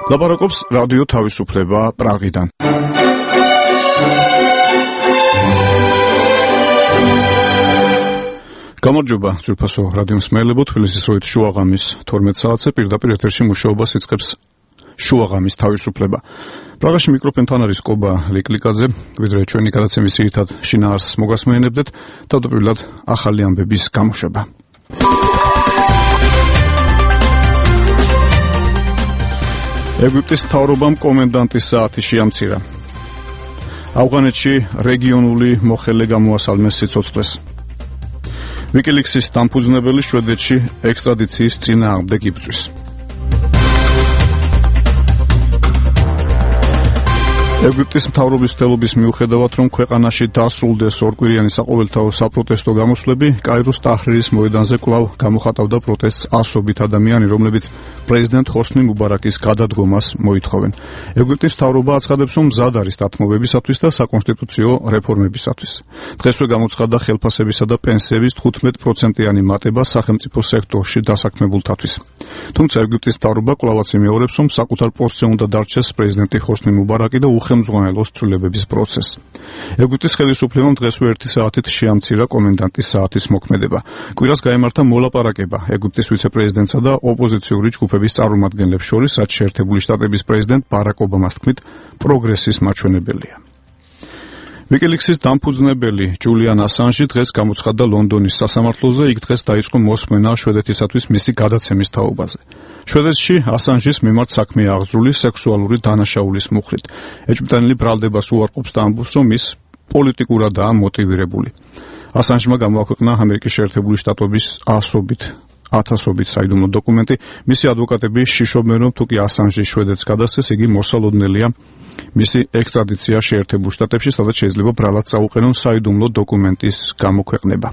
ლაპარაკობს რადიო თავისუფლება პრაღიდან. გამარჯობა, ძვირფასო რადიო მსმენელებო, თბილისის როით შუაღამის 12 საათზე პირდაპირ ეთერში მუშაობას იწყებს შუაღამის თავისუფლება. პრაღაში მიკროფონთან არის კობა ლიკლიკაძე, ვიდრე ჩვენი გადაცემის ძირითად შინაარსს მოგასმენებდეთ, თავდაპირველად ახალი ამბების გამოშვება. ეგვიპტის მთავრობამ კომენდანტის საათი შეამცირა. ავღანეთში რეგიონული მოხელე გამოასალმეს სიცოცხლეს. ვიკილიქსის დამფუძნებელი შვედეთში ექსტრადიციის წინააღმდეგ იბრძვის. ეგვიპტის მთავრობის მცდელობის მიუხედავად, რომ ქვეყანაში დასრულდეს ორკვირიანი საყოველთაო საპროტესტო გამოსვლები, კაიროს ტაჰრირის მოედანზე კვლავ გამოხატავდა პროტესტს ასობით ადამიანი, რომლებიც პრეზიდენტ ჰოსნი მუბარაკის გადადგომას მოითხოვენ. ეგვიპტის მთავრობა აცხადებს, რომ მზად არის დათმობებისათვის და საკონსტიტუციო რეფორმებისათვის. დღესვე გამოცხადდა ხელფასებისა და პენსიების 15%-იანი მატება სახელმწიფო სექტორში დასაქმებულთათვის. თუმცა ეგვიპტის მთავრობა კვლავაც იმეორებს, რომ საკუთარ პოსტზე უნდა დარჩეს პრეზიდენტი ჰოსნი მუბარაკი და ხელმძღვანელოს ცვლილებების პროცესს. ეგვიპტის ხელისუფლებამ დღესვე 1 საათით შეამცირა კომენდანტის საათის მოქმედება. კვირას გაემართა მოლაპარაკება ეგვიპტის ვიცე-პრეზიდენტსა და ოპოზიციური ჯგუფების წარმომადგენლებს შორის, რაც შეერთებული შტატების პრეზიდენტ ბარაკ ობამას თქმით, პროგრესის მაჩვენებელია. ვიკილიქსის დამფუძნებელი ჯულიან ასანჟი დღეს გამოცხადდა ლონდონის სასამართლოზე, იქ დღეს დაიწყო მოსმენა შვედეთისათვის მისი გადაცემის თაობაზე. შვედეთში ასანჟის მიმართ საქმე აღძრული სექსუალური დანაშაულის მუხლით. ეჭვმიტანილი ბრალდებას უარყოფს და ამბობს, რომ ის პოლიტიკურადაა მოტივირებული. ასანჟმა გამოაქვეყნა ამერიკის შეერთებული შტატების ათასობით საიდუმლო დოკუმენტი. მისი ადვოკატები შიშობენ, რომ თუკი ასანჟი შვედეთს გადასცეს, იგი მოსალოდნელია მისი ექსტრადიცია შეერთებულ შტატებში, სადაც შეიძლება ბრალად წაუყენონ საიდუმლო დოკუმენტის გამოქვეყნება.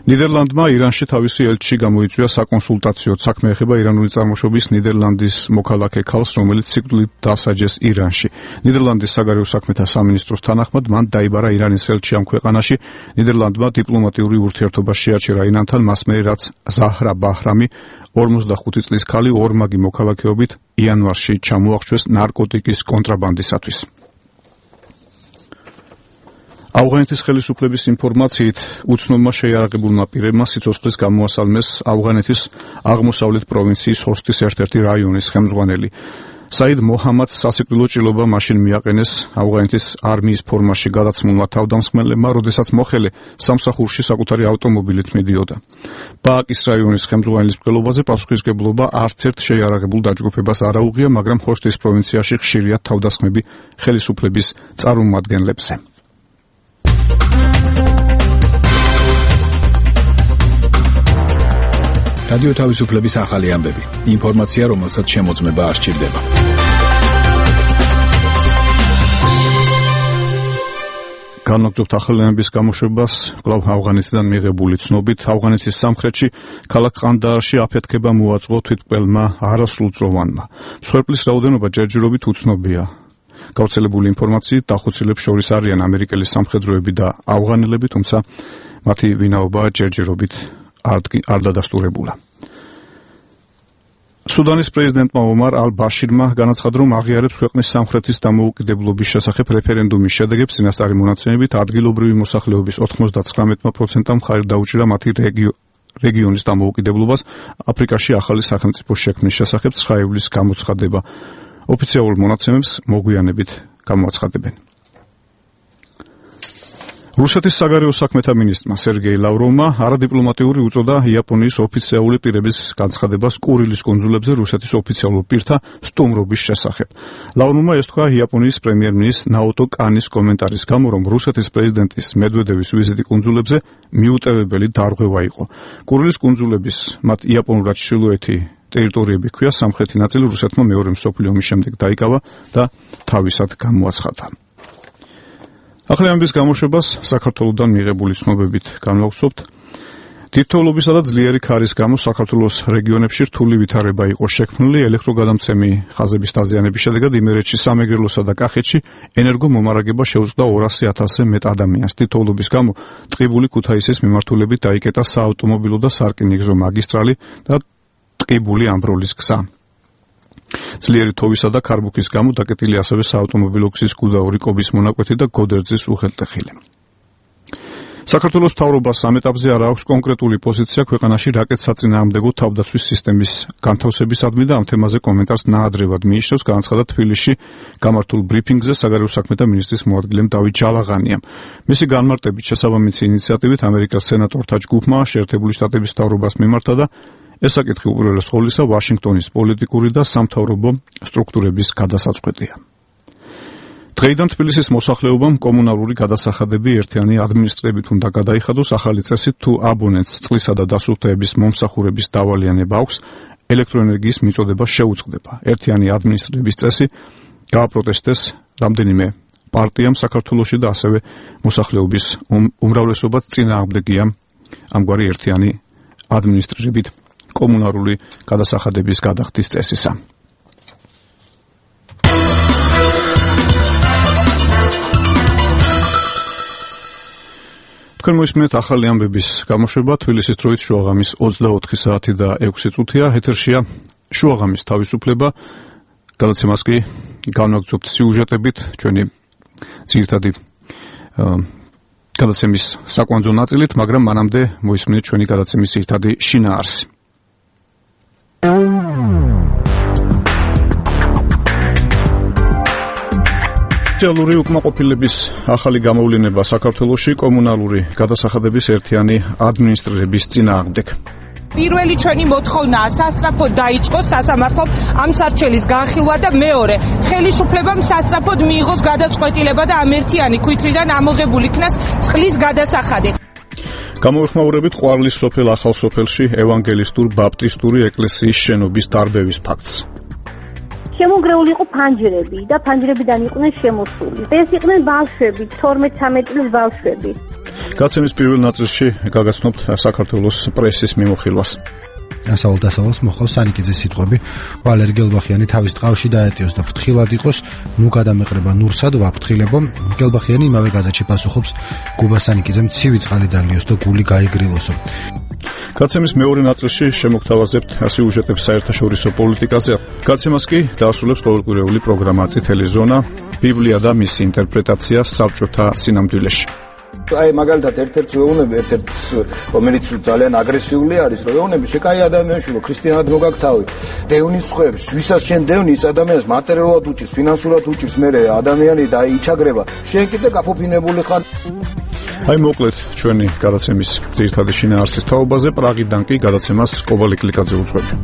ნიდერლანდმა ირანში თავისი ელჩი გამოიწვია საკონსულტაციოდ. საქმე ეხება ირანული წარმოშობის ნიდერლანდის მოქალაქე ქალს, რომელიც სიკვდილით დასაჯეს ირანში. ნიდერლანდის საგარეო საქმეთა სამინისტროს თანახმად მან დაიბარა ირანის ელჩი ამ ქვეყანაში. ნიდერლანდმა დიპლომატიური ურთიერთობა შეაჩერა ირანთან, მას მერე რაც ზაჰრა ბაჰრამი 45 წლის ქალი ორმაგი მოქალაქეობით იანვარში ჩამოახვჩეს ნარკოტიკის კონტრაბანდისათვის. ავღანეთის ხელისუფლების ინფორმაციით, უცნობმა შეიარაღებულმა პირებმა სიცოცხლის გამოასალმეს ავღანეთის აღმოსავლეთ პროვინციის ჰოსტის ერთ-ერთი რაიონის ხელმძღვანელი. საიდ მოჰამადს სასიკვდილო ჭრილობა მაშინ მიაყენეს ავღანეთის არმიის ფორმაში გადაცმულმა თავდამსხმელებმა, როდესაც მოხელე სამსახურში საკუთარი ავტომობილით მიდიოდა. ბააკის რაიონის ხელმძღვანელის მკვლელობაზე პასუხისმგებლობა არც ერთ შეიარაღებულ დაჯგუფებას არ აუღია, მაგრამ ჰოსტის პროვინციაში ხშირია თავდასხმები ხელისუფლების წარმომადგენლებზე. რადიო თავისუფლების ახალი ამბები. ინფორმაცია, რომელსაც შემოწმება არ სჭირდება. განაგრძობთ ახალი ამბების გამოშვებას კვლავ ავღანეთიდან მიღებული ცნობით. ავღანეთის სამხრეთში ქალაქ ყანდაარში აფეთქება მოაწყო თვითმკვლელმა არასრულწლოვანმა. მსხვერპლის რაოდენობა ჯერჯერობით უცნობია. გავრცელებული ინფორმაციით დახოცილებს შორის არიან ამერიკელი სამხედროები და ავღანელები, თუმცა მათი ვინაობა ჯერჯერობით არ დადასტურებულა. სუდანის პრეზიდენტმა ომარ ალ-ბაშირმა განაცხადა, რომ აღიარებს ქვეყნის სამხრეთის დამოუკიდებლობის შესახებ რეფერენდუმის შედეგებს. წინასწარი მონაცემებით ადგილობრივი მოსახლეობის 99%-მა მხარი დაუჭირა მათი რეგიონის დამოუკიდებლობას. აფრიკაში ახალი სახელმწიფოს შექმნის შესახებ 9 ივლისს გამოცხადება. ოფიციალურ მონაცემებს მოგვიანებით გამოაცხადებენ. რუსეთის საგარეო საქმეთა მინისტრმა სერგეი ლავროვმა არადიპლომატიური უწოდა იაპონიის ოფიციალური პირების განცხადებას კურილის კუნძულებზე რუსეთის ოფიციალურ პირთა სტუმრობის შესახებ. ლავროვმა ეს თქვა იაპონიის პრემიერ-მინისტრ ნაოტო კანის კომენტარის გამო, რომ რუსეთის პრეზიდენტის მედვედევის ვიზიტი კუნძულებზე მიუტევებელი დარღვევა იყო. კურილის კუნძულების, მათ იაპონურად ჩრდილოეთი ტერიტორიები ქვია, სამხრეთი ნაწილი რუსეთმა მეორე მსოფლიო ომის შემდეგ დაიკავა და თავისად გამოაცხადა. ახალი ამბების გამოშვებას საქართველოსთან მიღებული ცნობებით განვავრცობთ. თითოეულობისა და ძლიერი ქარის გამო საქართველოს რეგიონებში რთული ვითარება იყო შექმნილი. ელექტროგადამცემი ხაზების დაზიანების შედეგად იმერეთში, სამეგრელოსა და კახეთში ენერგომომარაგება შეუწყდა 200,000-ზე მეტ ადამიანს. თითოეულობის გამო ტყიბული ქუთაისის მიმართულებით დაიკეტა საავტომობილო და სარკინიგზო მაგისტრალი და ტყიბული ამბროლის გზა. ძლიერი თოვისა და ქარბუქის გამო დაკეტილი ასევე საავტომობილო გზის გუდაური კობის მონაკვეთი და გოდერძის უღელტეხილი. საქართველოს მთავრობას ამ ეტაპზე არ აქვს კონკრეტული პოზიცია ქვეყანაში რაკეტსაწინააღმდეგო თავდაცვის სისტემის განთავსებისადმი და ამ თემაზე კომენტარს ნაადრევად მიიჩნევს განაცხადა თბილისში გამართულ ბრიფინგზე საგარეო საქმეთა მინისტრის მოადგილემ დავით ჯალაღანიამ. მისი განმარტებით შესაბამისი ინიციატივით ამერიკას სენატორთა ჯგუფმა შეერთებული შტატების მთავრობას მიმართა და ეს საკითხი უპირველეს ყოვლისა ვაშინგტონის პოლიტიკური და სამთავრობო სტრუქტურების გადასაწყვეტია. დღეიდან თბილისის მოსახლეობამ კომუნალური გადასახადები ერთიანი ადმინისტრებით უნდა გადაიხადოს ახალი წესით თუ აბონენტს წყლისა და დასუფთავების მომსახურების დავალიანება აქვს ელექტროენერგიის მიწოდება შეუწყდება. ერთიანი ადმინისტრების წესი გააპროტესტეს რამდენიმე პარტიამ საქართველოში და ასევე მოსახლეობის უმრავლესობაც წინააღმდეგია ამგვარი ერთიანი ადმინისტრებით კომუნალური გადასახადების გადახდის წესისა. თქვენ მოისმენთ ახალი ამბების გამოშვება თბილისის დროით შუაღამის 24 საათი და 6 წუთია ეთერშია შუაღამის თავისუფლება გადაცემას კი განვაგრძობთ სიუჟეტებით ჩვენი ძირითადი გადაცემის საკვანძო ნაწილით, მაგრამ მანამდე მოისმენთ ჩვენი გადაცემის ძირითადი შინაარსი. სოციალური უკმაყოფილების ახალი გამოვლენა საქართველოში კომუნალური გადასახადების ერთიანი ადმინისტრირების წინააღმდეგ. პირველი ჩვენი მოთხოვნაა სასწრაფოდ დაიწყოს სასამართლომ ამ სარჩელის განხილვა და მეორე ხელისუფლებამ სასწრაფოდ მიიღოს გადაწყვეტილება და ამ ერთიანი ქვითრიდან ამოღებული იქნას წყლის გადასახადი. გამოეხმაურებით ყვარლის სოფელ ახალ სოფელში ევანგელისტურ ბაპტისტური ეკლესიის შენობის დარბევის ფაქტს. შემოგრეული იყო ფანჯრები და ფანჯრებიდან იყვნენ შემოსული. ეს იყვნენ ბავშვები, 12-13 წლის ბავშვები. გაცემის პირველ ნაწილში გაგაცნობთ საქართველოს პრესის მიმოხილვას. ასავალ-დასავალს მოხავს სანიკიძის სიტყვები. ვალერი გელბახიანი თავის ტყავში დაეტიოს და ფრთხილად იყოს, ნუ გადამეყრება ნურსად ვაფრთხილებო. გელბახიანი იმავე გაზეთში პასუხობს გუბა სანიკიძემ ცივი წყალი დალიოს და გული გაიგრილოსო. გაცემის მეორე ნაწილში შემოგთავაზებთ სიუჟეტებს საერთაშორისო პოლიტიკაზე. გაცემას კი დაასრულებს ყოველკვირეული პროგრამა წითელი ზონა, ბიბლია და მისი ინტერპრეტაცია საბჭოთა სინამდვილეში. აი მაგალითად ერთ-ერთი ეუბნები, რომელიც ძალიან აგრესიული არის, რომ ეუბნები შეკაი ადამიანში, რომ ქრისტიანად მოგაქვს თავი. დევნის ხვევს, ვისაც შენ დევნი, ის ადამიანს მატერიალურად უჭირს, ფინანსურად უჭირს, მე ადამიანი და იჩაგრება. შენ კიდე გაფუფინებული ხარ. აი მოკლედ ჩვენი გადაცემის ძირითადი შინაარსის თაობაზე, პრაღიდან კი გადაცემას კობალე კლიკაძე უძღვები.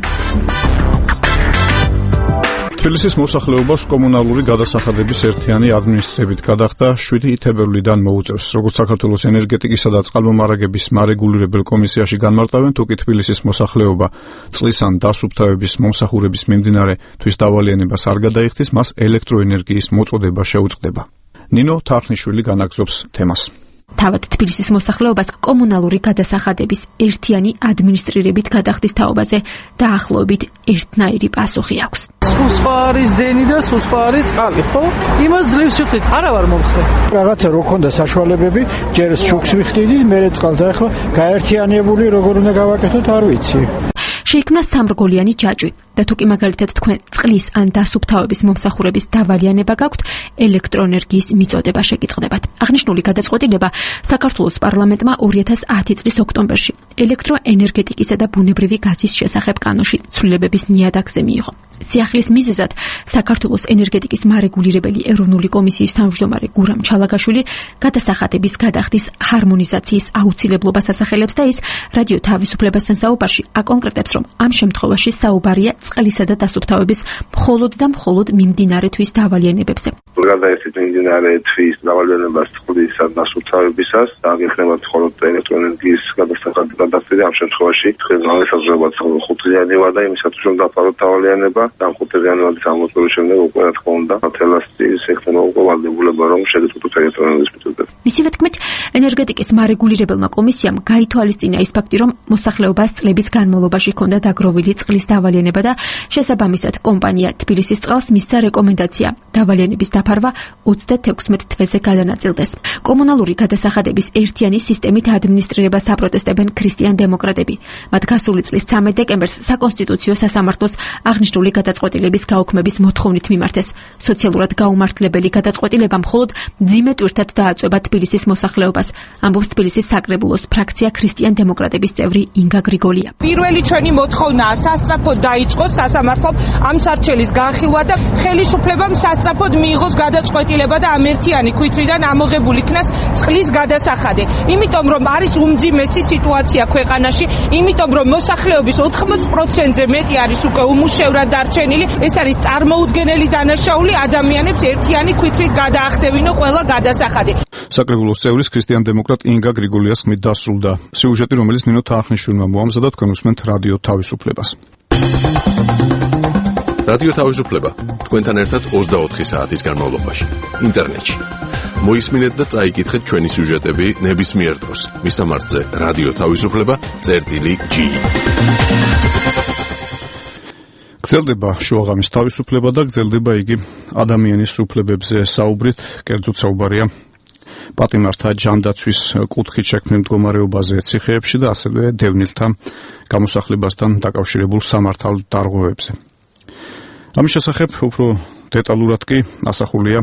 თბილისის მოსახლეობას კომუნალური გადასახადების ერთიანი ადმინისტრებით გადახდა 7 თებერვლიდან მოუწევს. როგორც საქართველოს ენერგეტიკისა და წყალმომარაგების მარეგულირებელ კომისიაში განმარტავენ, თუ კი თბილისის მოსახლეობა წყლის ან დასუფთავების მომსახურების მიმდინარე თვის დავალიანებას არ გადაიხდის, მას ელექტროენერგიის მოწოდება შეუწყდება. ნინო თარხნიშვილი განაგზობს თემას. თავად თბილისის მოსახლეობას კომუნალური გადასახადების ერთიანი ადმინისტრირებით გადახდის თაობაზე დაახლოებით ერთნაირი პასუხი აქვს. სხვა არის დენი და სხვა არის წყალი, ხო? იმას ძლივს ვიხდით, არა ვარ მომხრე. რაღაცა რო ქონდა საშუალებები, ჯერ შუქს ვიხდიდი, მერე წყალს და ახლა გაერთიანებული როგორ უნდა გავაკეთოთ, არ ვიცი. შეიქმნა სამრგოლიანი ჯაჭვი და თუ კი მაგალითად თქვენ წყლის ან დასუფთავების მომსახურების დავალიანება გაქვთ, ელექტროენერგიის მიწოდება შეგიწყდებათ. აღნიშნული გადაწყვეტილება საქართველოს პარლამენტმა 2010 წლის ოქტომბერში ელექტროენერგეტიკისა და ბუნებრივი გაზის შესახებ კანონში ცვლილებების ნიადაგზე მიიღო. სიახლის მიზეზად საქართველოს ენერგეტიკის მარეგულირებელი ეროვნული კომისიის თავმჯდომარე გურამ ჩალაგაშვილი გადასახადების გადახდის ჰარმონიზაციის აუცილებლობას ასახელებს და ის რადიო თავისუფლებასთან საუბარში აკონკრეტებს, რომ ამ შემთხვევაში საუბარია წყლისა და დასუფთავების მხოლოდ და მხოლოდ მიმდინარე თვის დავალიანებებზე. გადაიხდით მიმდინარე თვის დავალიანებას წყლისა და დასუფთავებისას და აღიქმებათ მხოლოდ ელექტროენერგიის გადასახადი გადახდილი. ამ შემთხვევაში თქვენ განსაზღვრებათ 5-დღიანი ვადა იმისათვის, რომ დაფაროთ დავალიანება. ამ 5-დღიანი ვადის ამოწურვის შემდეგ უკვე რა თქმა უნდა თელასტის ექნება უკვე ვალდებულება, რომ შეგეწყვეტოთ ელექტროენერგიის მიწოდება. მისივე თქმით, ენერგეტიკის მარეგულირებელმა კომისიამ გაითვალისწინა ის ფაქტი, რომ მოსახლეობას წლების განმავლობაში ჰქონდა დაგროვილი წყლის დავალიანება და შესაბამისად კომპანია თბილისის წყალს მისცა რეკომენდაცია დავალიანების დაფარვა 36 თვეზე გადანაწილდეს. კომუნალური გადასახადების ერთიანი სისტემით ადმინისტრირებას აპროტესტებენ ქრისტიან დემოკრატები. მათ გასული წლის 13 დეკემბერს საკონსტიტუციო სასამართლოს აღნიშნული გადაწყვეტილების გაუქმების მოთხოვნით მიმართეს. სოციალურად გაუმართლებელი გადაწყვეტილება მხოლოდ მძიმე ტვირთად დააწვევა თბილისის მოსახლეობას. ამბობს თბილისის საკრებულოს ფრაქცია ქრისტიან დემოკრატების წევრი ინგა გრიგოლია. პირველი ჩვენი მოთხოვნაა სასწრაფოდ დაიწყოს სასამართლომ ამ სარჩელის განხილვა და ხელისუფლებამ სასწრაფოდ მიიღოს გადაწყვეტილება და ამ ერთიანი ქვითრიდან ამოღებული იქნას წყლის გადასახადი. იმიტომ რომ არის უმძიმესი სიტუაცია ქვეყანაში, იმიტომ რომ მოსახლეობის 80%-ზე მეტი არის უკვე უმუშევრად დარჩენილი, ეს არის წარმოუდგენელი დანაშაული ადამიანებს ერთიანი ქვითრით გადაახდევინო ყველა გადასახადი. საკრებულოს წევრის ქრისტიან დემოკრატ ინგა გრიგოლიას ხმით დასრულდა სიუჟეტი, რომელიც ნინო თახნიშვილმა მოამზადა. თქვენ უსმენთ რადიო თავისუფლებას. რადიო თავისუფლება თქვენთან ერთად 24 საათის განმავლობაში ინტერნეტში. მოისმინეთ და წაიკითხეთ ჩვენი სიუჟეტები ნებისმიერ დროს. მისამართზე რადიო თავისუფლება.gi. გრძელდება შუაღამის თავისუფლება და გრძელდება იგი ადამიანის უფლებებზე საუბრით, კერძოდ საუბარია პატიმართა ჯანდაცვის კუთხით შექმნილ მდგომარეობაზე ციხეებში და ასევე დევნილთა გამოსახლებასთან დაკავშირებულ სამართალ დარღვევებზე. ამის შესახებ უფრო დეტალურად კი ასახულია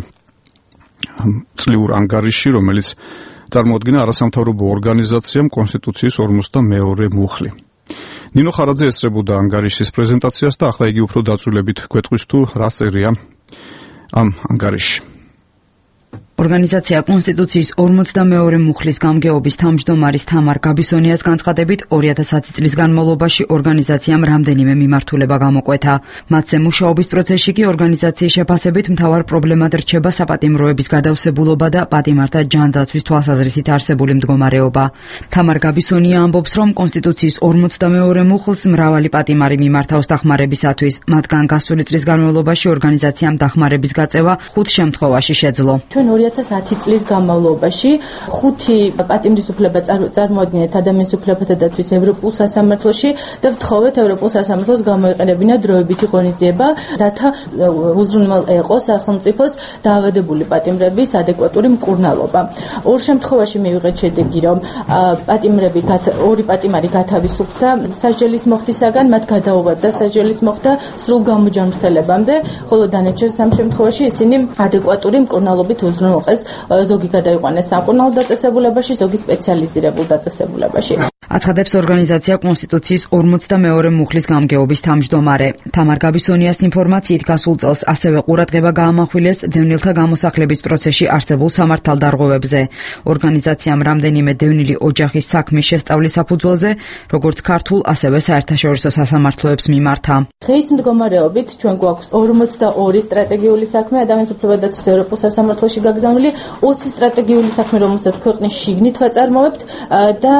წლიურ ანგარიშში, რომელიც წარმოადგენა არასამთავრობო ორგანიზაციამ კონსტიტუციის 52 მუხლი. ნინო ხარაძე ესწრებოდა ანგარიშის პრეზენტაციას და ახლა იგი უფრო დაწვრილებით გვეტყვის თუ რა წერია ამ ანგარიშში. ორგანიზაცია კონსტიტუციის 52 მუხლის გამგეობის თავმჯდომარის თამარ გაბისონიას განცხადებით 2010 წლის განმავლობაში ორგანიზაციამ რამდენიმე მიმართულება გამოკვეთა. მათზე მუშაობის პროცესში კი ორგანიზაციის შეფასებით მთავარ პრობლემად რჩება საპატიმროების გადავსებულობა და პატიმართა ჯანდაცვის თვალსაზრისით არსებული მდგომარეობა. თამარ გაბისონია ამბობს, რომ კონსტიტუციის 52 მუხლს მრავალი პატიმარი მიმართავს დახმარებისათვის. მათგან გასული წლის განმავლობაში ორგანიზაციამ დახმარების გაწევა 5 შემთხვევაში შეძლო. 2010 წლის განმავლობაში 5 პატიმრის უფლება წარმოადგენთ ადამიანის უფლებათა დაცვის ევროპულ სასამართლოში და ვთხოვეთ ევროპულ სასამართლოს გამოიყენებინა დროებითი ღონისძიება, რათა უზრუნველ ეყოს სახელმწიფოს დაავადებული პატიმრების ადეკვატური მკურნალობა. ორ შემთხვევაში მივიღეთ შედეგი, რომ ორი პატიმარი გათავისუფლდა სასჯელის მოხდისაგან, მათ გადაუვადდა სასჯელის მოხდა სრულ გამოჯანმრთელებამდე, ხოლო დანარჩენ 3 შემთხვევაში ისინი ადეკვატური მკურნალობით უზრუნველყეს. ზოგი გადაიყვანეს სამკურნალო დაწესებულებაში, ზოგი სპეციალიზირებულ დაწესებულებაში. აცხადებს ორგანიზაცია კონსტიტუციის 52 მუხლის გამგეობის თავმჯდომარე. თამარ გაბისონიას ინფორმაციით გასულ წელს ასევე ყურადღება გაამახვილეს დევნილთა გამოსახლების პროცესში არსებულ სამართალ დარღვევებზე. ორგანიზაციამ რამდენიმე დევნილი ოჯახის საქმის შესწავლის საფუძველზე, როგორც ქართულ, ასევე საერთაშორისო სასამართლოებს მიმართა. დღის მდგომარეობით ჩვენ გვაქვს 42 სტრატეგიული საქმე ადამიანის უფლებათა დაცვის ევროპულ სასამართლოში გაგზავნილი, 20 სტრატეგიული საქმე, რომელსაც ქვეყნის შიგნით ვაწარმოებთ და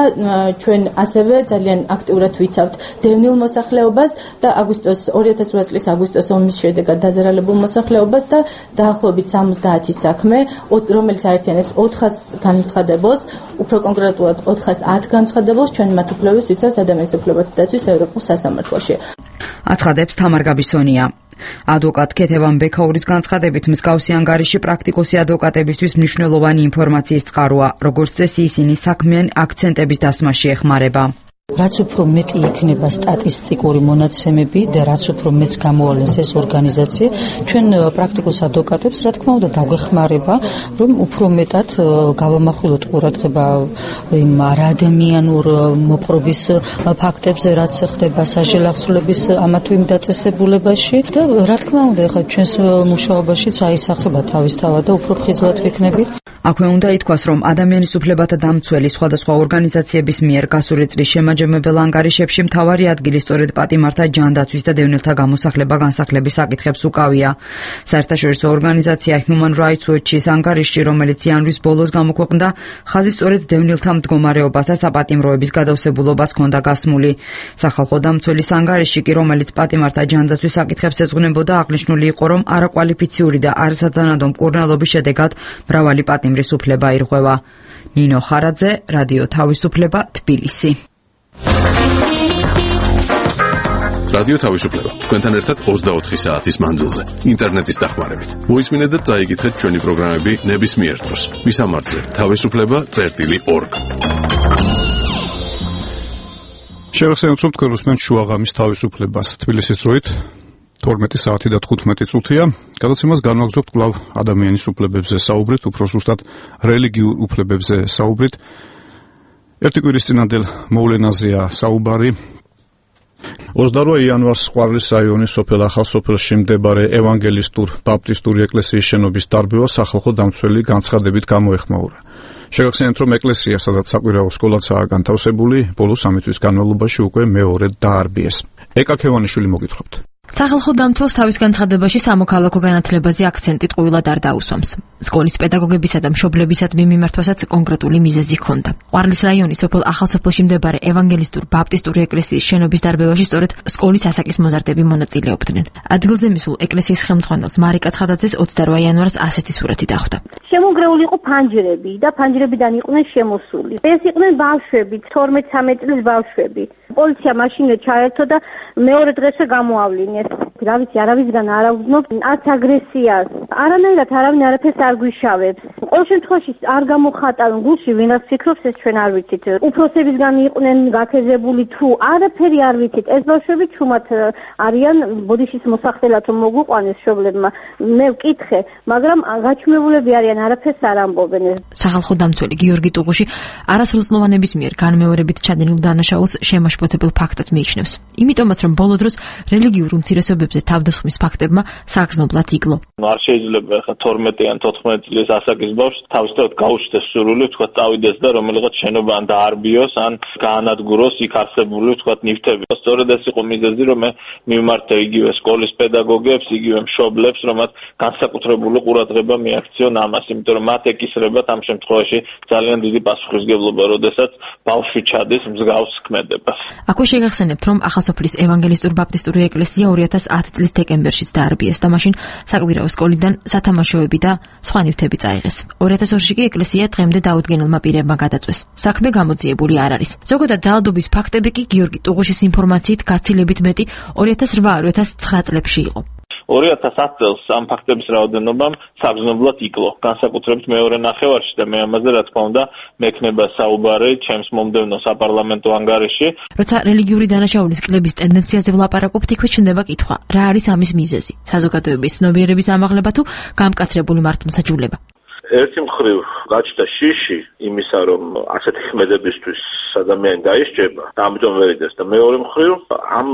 ჩვენ ასევე ძალიან აქტიურად ვიცავთ დევნილ მოსახლეობას და 2008 წლის აგვისტოს ომის შედეგად დაზარალებულ მოსახლეობას და დაახლოებით 70 საქმე, რომელიც აერთიანებს 400 განცხადებულს, უფრო კონკრეტულად 410 განცხადებულს ჩვენ მათ უფლებებს ვიცავთ ადამიანის უფლებათა დაცვის ევროპულ სასამართლოში. აცხადებს თამარ გაბისონია. ადვოკატ ქეთევან ბექაურის განცხადებით მსგავსი ანგარიში პრაქტიკოსი ადვოკატებისთვის მნიშვნელოვანი ინფორმაციის წყაროა, როგორც წესი ისინი საქმიანი აქცენტების დასმაში ეხმარება. რაც უფრო მეტი იქნება სტატისტიკური მონაცემები და რაც უფრო მეც გამოავლენს ეს ორგანიზაცია, ჩვენ პრაქტიკოს ადვოკატებს რა თქმა უნდა დაგვეხმარება, რომ უფრო მეტად გავამახვილოთ ყურადღება იმ არადამიანურ მოპყრობის ფაქტებზე, რაც ხდება სასჯელ აღსრულების ამა თუ იმ დაწესებულებაში და რა თქმა უნდა ეხლა ჩვენს მუშაობაშიც აისახება თავისთავად და უფრო ხიზლად ვიქნებით. აქვე უნდა ითქვას, რომ ადამიანის უფლებათა დამცველი სხვადასხვა ორგანიზაციების მიერ გასული წლის შემაჯამებელ ანგარიშებში მთავარი ადგილი სწორედ პატიმართა ჯანდაცვის და დევნილთა გამოსახლება-განსახლების საკითხებს უკავია. საერთაშორისო ორგანიზაცია Human Rights Watch-ის ანგარიშში, რომელიც იანვრის ბოლოს გამოქვეყნდა, ხაზი სწორედ დევნილთა მდგომარეობას და საპატიმროების გადავსებულობას ჰქონდა გასმული. სახალხო დამცველის ანგარიში კი, რომელიც პატიმართა ჯანდაცვის საკითხებს ეძღვნებოდა, აღნიშნული იყო, რომ არაკვალიფიციური და არასათანადო მკურნალობის შედეგად მრავალი პატიმრის უფლება ირღვევა. ნინო ხარაძე, რადიო თავისუფლება, თბილისი. რადიო თავისუფლება. თქვენთან ერთად 24 საათის მანძილზე. ინტერნეტის დახმარებით. მოისმინეთ და წაიკითხეთ ჩვენი პროგრამები ნებისმიერ დროს. მისამართზე თავისუფლება.org. შევახსენოთ, რომ თქვენ უსმენთ შუაღამის თავისუფლებას თბილისის დროით 12 საათი და 15 წუთია. გადაცემას განვაგრძობთ კვლავ ადამიანის უფლებებზე საუბრით, უფრო ზუსტად რელიგიურ უფლებებზე საუბრით. ერთი კვირის წინანდელ მოვლენაზეა საუბარი. 28 იანვარს ყვარლის რაიონის სოფელ ახალსოფელში მდებარე ევანგელისტურ ბაპტისტური ეკლესიის შენობის დარბევა სახალხო დამცველი განცხადებით გამოეხმაურა. შეგახსენებთ, რომ ეკლესია, სადაც საკვირაო სკოლაცაა განთავსებული, ბოლო 3 თვის განმავლობაში უკვე მეორედ დაარბიეს. ეკა ქევანიშვილი მოგითხრობთ. სახალხო დამცველს თავის განცხადებაში სამოქალაქო განათლებაზე აქცენტი ტყუილად არ დაუსვამს. სკოლის პედაგოგებისა და მშობლებისადმი მიმართვასაც კონკრეტული მიზეზი ჰქონდა. ყვარლის რაიონის სოფელ ახალსოფელში მდებარე ევანგელისტურ ბაპტისტური ეკლესიის შენობის დარბევაში სწორედ სკოლის ასაკის მოზარდები მონაწილეობდნენ. ადგილზე მისულ ეკლესიის ხელმძღვანელს მარიკა ცხადაძეს 28 იანვარს ასეთი სურათი დახვდა. შემოგრეული იყო ფანჯრები და ფანჯრებიდან იყვნენ შემოსული. ეს იყვნენ ბავშვები, 12-13 წლის ბავშვები. პოლიცია მაშინვე ჩაერთო და მეორე დღესვე გამოავლინეს. რა ვიცი, არავისგან არ აუძნობ არც აგრესიას. არანაირად არავინ არაფერს არ გვიშავებს. ყოველ შემთხვევაში არ გამოხატავენ გულში, ვინაც ფიქრობს ეს ჩვენ არ ვიცით. უფროსებისგან იყვნენ გაქეზებული თუ არაფერი არ ვიცით. ეს ბავშვები ჩუმად არიან ბოდიშის მოსახდელად მოგვიყვანეს მშობლებმა. მე ვკითხე, მაგრამ გაჩუმებულები არიან, არაფერს არ ამბობენ. სახალხო დამცველი გიორგი ტუღუში არასრულწლოვანების მიერ განმეორებით ჩადენილ დანაშაულს შემაშფოთებელ ფაქტად მიიჩნევს. იმიტომაც, რომ ბოლო დროს რელიგიურ უმცირესობებზე თავდასხმის ფაქტებმა საგრძნობლად იკლო. არ შეიძლება ხა 12-ან 14 წლის ასაკის ბავშვს თავისთავად გაუჩნდეს სურვილი, თქვა წავიდეს და რომელიღაც შენობა ან დაარბიოს, ან გაანადგუროს იქ არსებული თქვა ნივთები. სწორედ ეს იყო მიზეზი, რომ მე მიმართე იგივე სკოლის პედაგოგებს, იგივე მშობლებს, რომ მათ განსაკუთრებული ყურადღება მიაქციონ ამას, იმიტომ რომ მათ ეკისრებათ ამ შემთხვევაში ძალიან დიდი პასუხისმგებლობა, როდესაც ბავშვი ჩადის მსგავს ქმედებას. აქვე შეგახსენებთ, რომ ახალსოფლის ევანგელისტურ ბაპტისტური ეკლესია 2010 წლის დეკემბერშიც დაარბიეს და მაშინ საკვირაო სკოლიდან სათამაშოები და სხვა ნივთები წაიღეს. 2002-ში კი ეკლესია დღემდე დაუდგენელმა პირებმა გადაწვეს. საქმე გამოძიებული არ არის. ზოგადად ძალადობის ფაქტები კი გიორგი ტუღუშის ინფორმაციით გაცილებით მეტი 2008-2009 წლებში იყო. 2010 წელს ამ ფაქტების რაოდენობამ საგრძნობლად იკლო. განსაკუთრებით მეორე ნახევარში და მე ამაზე რა თქმა უნდა მექნება საუბარი ჩემს მომდევნო საპარლამენტო ანგარიში. როცა რელიგიური დანაშაულის კლების ტენდენციაზე ვლაპარაკობთ, იქვე ჩნდება კითხვა, რა არის ამის მიზეზი? საზოგადოების ცნობიერების ამაღლება თუ გამკაცრებული მართლმსაჯულება? ერთი მხრივ გაჩნდა შიში იმისა, რომ ასეთი ხმედებისთვის ადამიანი დაისჯება და ამიტომ ვერ იდეს და მეორე მხრივ ამ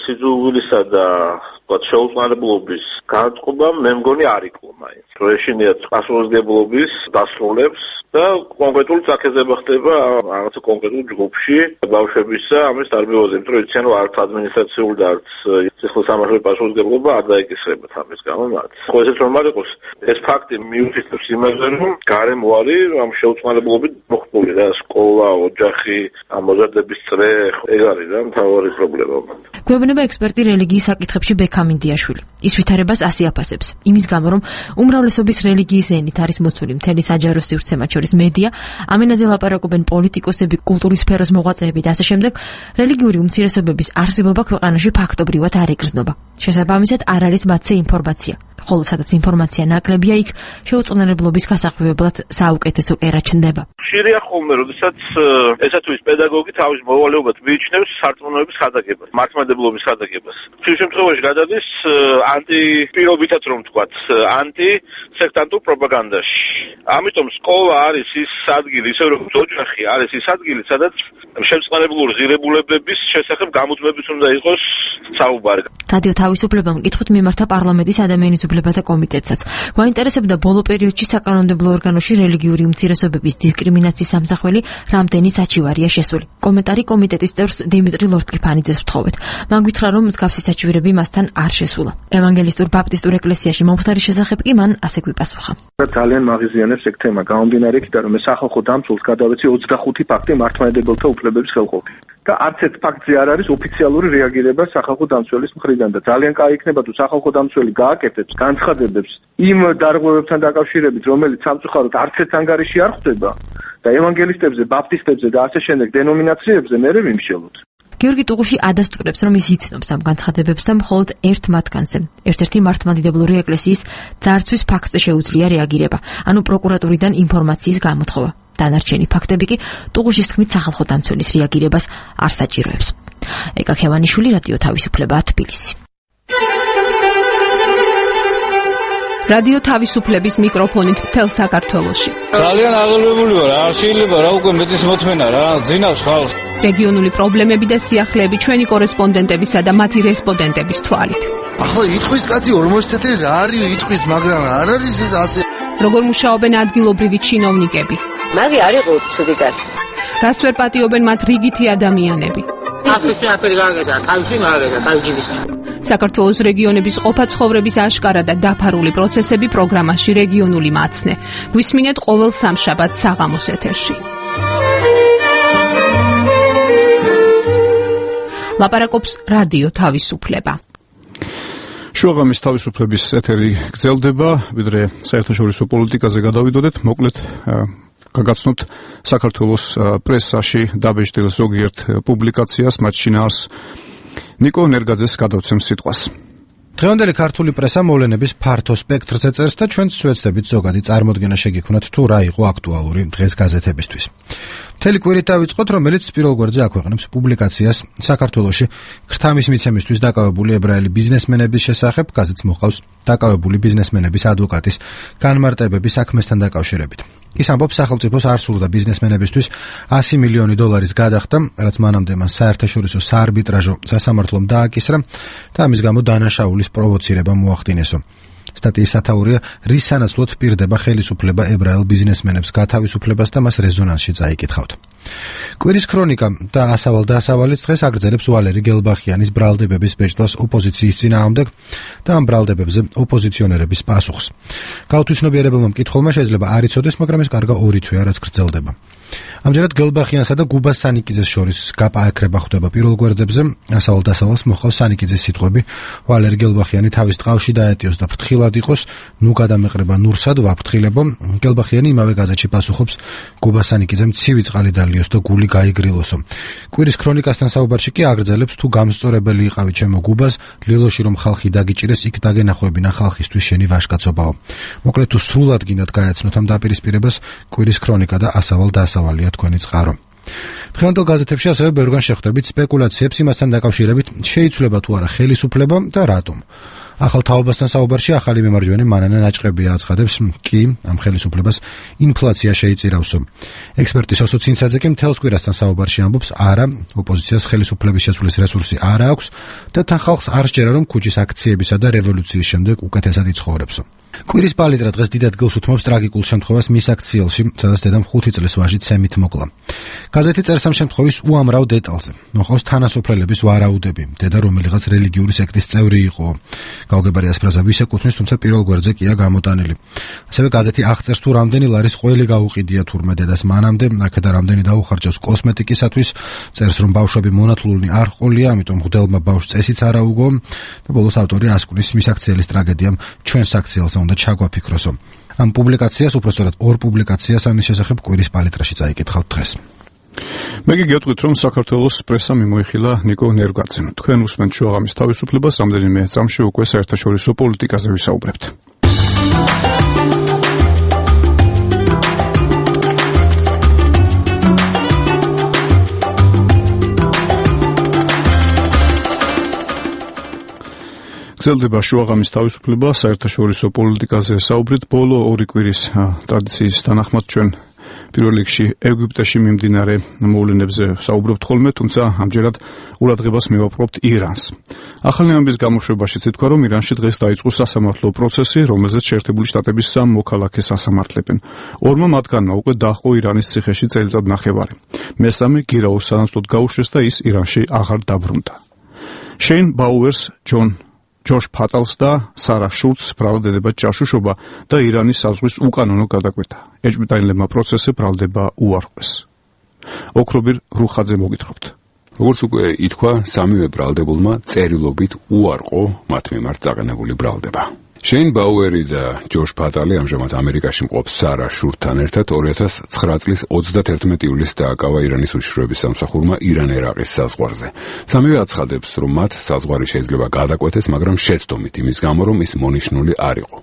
სიძულვილისა და შეუწყალებლობის განწყობამ მე მგონი არ იკლო მაინც. რომ ეშინიათ პასუხისმგებლობის დასრულებს და კონკრეტული წაქეზება ხდება რაღაცა კონკრეტულ ჯგუფში ბავშვებისა ამის დარბევაზე, იმიტომ რომ იციან რომ არც ადმინისტრაციული და არც სიხლოსამართლობრივი პასუხისმგებლობა არ დაიკისრებათ ამის გამო მათ. ხო ესეც რომ არ იყოს, ეს ფაქტი მიუთითებს იმაზე, რომ გარემოარი ამ შეუწყალებლობით მოხდული და სკოლა, ოჯახი, ამ მოზარდების წრე ეგ არის რა მთავარი პრობლემა. გვეუბნება ექსპერტი რელიგიის საკითხებში ბექამინდიაშვილი. ის ვითარებას ასე აფასებს. იმის გამო, რომ უმრავლესობის რელიგიის ენით არის მოცული მთელი საჯარო სივრცე, მათ შორის მედია, ამ ენაზე ლაპარაკობენ პოლიტიკოსები, კულტურის სფეროს მოღვაწეები და ასე შემდეგ, რელიგიური უმცირესობების არსებობა ქვეყანაში ფაქტობრივად არ იგრძნობა. შესაბამისად, არ არის მათზე ინფორმაცია. ხოლო სადაც ინფორმაცია ნაკლებია, იქ შეუწყნარებლობის გასახვევებლად საუკეთესო კერა ჩნდება. ხშირია ხოლმე, როდესაც ესა თუ ის პედაგოგი თავის მოვალეობად მიიჩნევს სარწმუნოების ხადაგებას, მართლმადიდებლობის ხადაგებას. ამ შემთხვევაში გადადის ანტიპირობითად რომ ვთქვათ, ანტისექტანტურ პროპაგანდაში. ამიტომ სკოლა არის ის ადგილი, ისე როგორც ოჯახი არის ის ადგილი, სადაც შემწყნარებლური ღირებულებების შესახებ გამოძმების უნდა იყოს საუბარი. რადიო თავისუფლებამ კითხვით მიმართა პარლამენტის ადამიანის უფლებათა კომიტეტსაც. გვაინტერესებდა ბოლო პერიოდში საკანონმდებლო ორგანოში რელიგიური უმცირესობების დისკრიმინაციის სამსახველი რამდენი საჩივარია შესული. კომენტარი კომიტეტის წევრს დიმიტრი ლორთკიფანიძეს ვთხოვეთ. მან გითხრა, რომ მსგავსი საჩივირები მასთან არ შესულა. ევანგელისტურ ბაპტისტურ ეკლესიაში მომხდარის შესახებ კი მან ასე გვიპასუხა. ძალიან მაღიზიანებს ეგ თემა, გამომდინარე იქიდან, რომ სახალხო დამცველს გადავეცი 25 ფაქტი მართლმადიდებელთა უფლებების ხელყოფი. და არც ერთ ფაქტზე არ არის ოფიციალური რეაგირება სახალხო დამცველის მხრიდან და ძალიან კაი იქნება თუ სახალხო დამცველი გააკეთებს განცხადებებს იმ დარღვევებთან დაკავშირებით, რომელიც სამწუხაროდ არც ერთ ანგარიში არ ხვდება და ევანგელისტებზე, ბაპტისტებზე და ასე შემდეგ დენომინაციებზე მერე ვიმშელოთ. გიორგი ტუღუში ადასტურებს, რომ ის იცნობს ამ განცხადებებს და მხოლოდ ერთ მათგანზე, ერთ-ერთი მართლმადიდებლური ეკლესიის ძარცვის ფაქტზე შეუძლია რეაგირება, ანუ პროკურატურიდან ინფორმაციის გამოთხოვა. დანარჩენი ფაქტები კი ტუღუშის თქმით სახალხო დამცველის რეაგირებას არ საჭიროებს. ეკა ქევანიშვილი, რადიო თავისუფლება, თბილისი. რადიო თავისუფლების მიკროფონით მთელ საქართველოში. ძალიან აღელვებული ვარ, არ შეიძლება რა უკვე მეტის მოთმენა რა, ძინავს ხალხს. რეგიონული პრობლემები და სიახლეები ჩვენი კორესპონდენტებისა და მათი რესპონდენტების თვალით. ახლა იტყვის კაცი 40 წელი რა არის იტყვის, მაგრამ არ არის ეს ასე. როგორ მუშაობენ ადგილობრივი ჩინოვნიკები? მაგი არ იყო ცუდი კაცი. რას ვერ პატიობენ მათ რიგითი ადამიანები? აფრიკაში აფერი გაგედა, თავში მაგედა, თავჯიბის. საქართველოს რეგიონების ყოფა ცხოვრების აშკარა და დაფარული პროცესები პროგრამაში რეგიონული მაცნე. გვისმინეთ ყოველ სამშაბათს საღამოს ეთერში. ლაპარაკობს რადიო თავისუფლება. შუაღამის თავისუფლების ეთერი გრძელდება, ვიდრე საერთაშორისო პოლიტიკაზე გადავიდოდეთ, მოკლედ გაგაცნობთ საქართველოს პრესაში დაბეჭდილ ზოგიერთ პუბლიკაციას, მათ შინაარს ნიკო ნერგაძეს გადავცემ სიტყვას. დღევანდელი ქართული პრესა მოვლენების ფართო სპექტრზე წერს და ჩვენც ვეცდებით ზოგადი წარმოდგენა შეგიქმნათ თუ რა იყო აქტუალური დღეს გაზეთებისთვის. მთელი კვირით დავიწყოთ, რომელიც პირველ გვერდზე აქვეყნებს პუბლიკაციას საქართველოში ქრთამის მიცემისთვის დაკავებული ებრაელი ბიზნესმენების შესახებ. გაზეთს მოყავს დაკავებული ბიზნესმენების ადვოკატის განმარტებები საქმესთან დაკავშირებით. ის ამბობს, სახელმწიფოს არ სურდა ბიზნესმენებისთვის 100 მილიონი დოლარის გადახდა, რაც მანამდე მას საერთაშორისო საარბიტრაჟო სასამართლომ დააკისრა და ამის გამო დანაშაულის პროვოცირება მოახდინესო. სტატიის სათაურია, რის სანაცვლოდ პირდება ხელისუფლება ებრაელ ბიზნესმენებს გათავისუფლებას და მას რეზონანსში წაიკითხავთ. კვირის ქრონიკა და ასავალ-დასავალიც დღეს აგრძელებს ვალერი გელბახიანის ბრალდებების ბეჭდვას ოპოზიციის წინააღმდეგ და ამ ბრალდებებზე ოპოზიციონერების პასუხს. გაუთვისნობიერებელმა მკითხველმა შეიძლება არ იცოდეს, მაგრამ ეს კარგა 2 თვეა, რაც გრძელდება. ამჯერად გელბახიანსა და გუბას სანიკიძეს შორის გაპაექრება ხდება პირველ გვერდებზე. ასავალ-დასავალს მოყავს სანიკიძეს სიტყვები, ვალერი გელბახიანი თავის ტყავში დაეტიოს და ფრთხილად იყოს, ნუ გადამეყრება ნურსად ვაფრთხილებო. გელბახიანი იმავე გაზეთში პასუხობს, გუბას სანიკიძემ ცივი წყალი დალიოს და გული გაიგრილოსო. კვირის ქრონიკასთან საუბარში კი აგრძელებს, თუ გამსწორებელი იყავი ჩემო გუბას, ლილოში რომ ხალხი დაგიჭირეს, იქ დაგენახويبინა ხალხისთვის შენი ვაშკაცობაო. მოკლედ თუ სრულად გინდათ გაეცნოთ ამ დაპირისპირებას, კვირის ქრონიკა და ასავალ-დასავალია თქვენი წყარო. დღევანდელ გაზეთებში ასევე ბევრგან შეხვდებით სპეკულაციებს იმასთან დაკავშირებით, შეიცვლება თუ არა ხელისუფლება და რატომ. ახალ თაობასთან საუბარში ახალი მემარჯვენე მანანა ნაჭყებია აცხადებს, კი, ამ ხელისუფლებას ინფლაცია შეიწირავსო. ექსპერტი სოსო ცინცაძე კი მთელს კვირასთან საუბარში ამბობს, არა, ოპოზიციას ხელისუფლების შეცვლის რესურსი არ აქვს და თან ხალხს არ სჯერა, რომ ქუჩის აქციებისა და რევოლუციის შემდეგ უკეთესად იცხოვრებსო. კვირის პალიტრა დღეს დიდ ადგილს უთმობს ტრაგიკულ შემთხვევას მის აქციელში, სადაც დედამ 5 წლის ვაჟი ცემით მოკლა. გაზეთი წერს ამ შემთხვევის უამრავ დეტალზე. მოყავს თანასოფლელების ვარაუდები, დედა რომელიღაც რელიგიური სექტის წევრი იყო. გაუგებარია ფრაზა ვის ეკუთვნის, თუმცა პირველ გვერდზე კია გამოტანილი. ასევე გაზეთი აღწერს, თუ რამდენი ლარის ყველი გაუყიდია თურმე დედას მანამდე, აქედა რამდენი დაუხარჯავს კოსმეტიკისათვის, წერს, რომ ბავშვები მონათლულნი არ ყოლია, ამიტომ მღვდელმა ბავშვს წესიც არ აუგო და ბოლოს ავტორი ასკვნის მის აქციელის ტრაგედიამ ჩვენს აქციელს უნდა ჩაგვაფიქროსო. ამ პუბლიკაციას, უпростоრად 2 პუბლიკაციას ამის შესახებ კვირის პალიტრაში წაიკითხავთ დღეს. მე გიგეთქვით, რომ საქართველოს პრესა მიმოიხილა ნიკო ნერგაძემ. თქვენ უსმენთ შუაღამის თავისუფლებას, რამდენიმე წამში უკვე საერთაშორისო პოლიტიკაზე ვისაუბრებთ. გრძელდება შუაღამის თავისუფლება, საერთაშორისო პოლიტიკაზე საუბრით. ბოლო 2 კვირის ტრადიციის თანახმად ჩვენ პირველ რიგში ეგვიპტეში მიმდინარე მოვლენებზე საუბრობთ ხოლმე, თუმცა ამჯერად ყურადღებას მივაპყრობთ ირანს. ახალი ამბის გამოშვებაშიც ითქვა, რომ ირანში დღეს დაიწყო სასამართლო პროცესი, რომელზეც შეერთებული შტატების 3 მოქალაქეს ასამართლებენ. 2 მათგანმა უკვე დაჰყო ირანის ციხეში წელიწად ნახევარი. მესამე გირაოს სანაცვლოდ გაუშვეს და ის ირანში აღარ დაბრუნდა. შეინ ბაუერს, ჯოშ ფატალს და სარა შულცს ბრალდება ჯაშუშობა და ირანის საზღვის უკანონო გადაკვეთა. ეჭვმიტანილებმა პროცესზე ბრალდება უარყვეს. ოქრობირ რუხაძე მოგითხრობთ. როგორც უკვე ითქვა, სამივე ბრალდებულმა წერილობით უარყო მათ მიმართ წაყენებული ბრალდება. შეინ ბაუერი და ჯოშ პატალი ამჟამად ამერიკაში მყოფ სარა შურთან ერთად 2009 წლის 31 ივლისს დააკავა ირანის უშიშროების სამსახურმა ირან-ერაყის საზღვარზე. სამივე აცხადებს, რომ მათ საზღვარი შეიძლება გადაკვეთეს, მაგრამ შეცდომით იმის გამო, რომ ის მონიშნული არ იყო.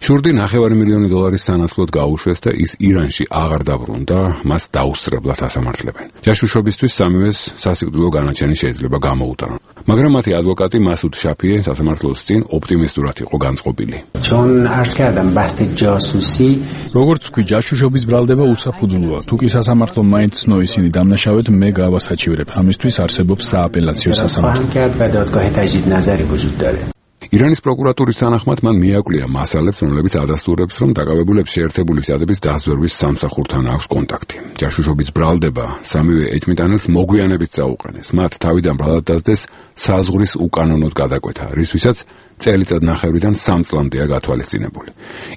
შურდი $900,000 სანაცვლოდ გაუშვეს და ის ირანში აღარ დაბრუნდა, მას დაუსწრებლად ასამართლებენ. ჯაშუშობისთვის სამივეს სასიკვდილო განაჩენი შეიძლება გამოუტანონ. მაგრამ მათი ადვოკატი მასუდ შაფიე სასამართლოს წინ ოპტიმისტურად იყო განწყობილი. چون عرض کردم بحث جاسوسی როგორც თქვი, ჯაშუშობის ბრალდება უსაფუძვლოა. თუ კი სასამართლო მაინც ცნო ისინი დამნაშავედ, მე გავასაჩივრებ. ამისთვის არსებობს სააპელაციო სასამართლო. و دادگاه تجدید نظری وجود داره. ირანის პროკურატურის თანახმად მან მიაკვლია მასალებს, რომლებიც ადასტურებს, რომ დაკავებულებს შეერთებული შტატების დაზვერვის სამსახურთან აქვს კონტაქტი. ჯაშუშობის ბრალდება სამივე ეჭვმიტანილს მოგვიანებით წაუყენეს. მათ თავიდან ბრალად დასდეს საზღვრის უკანონოდ გადაკვეთა, რისთვისაც წელიწად ნახევრიდან 3 წლამდეა გათვალისწინებული.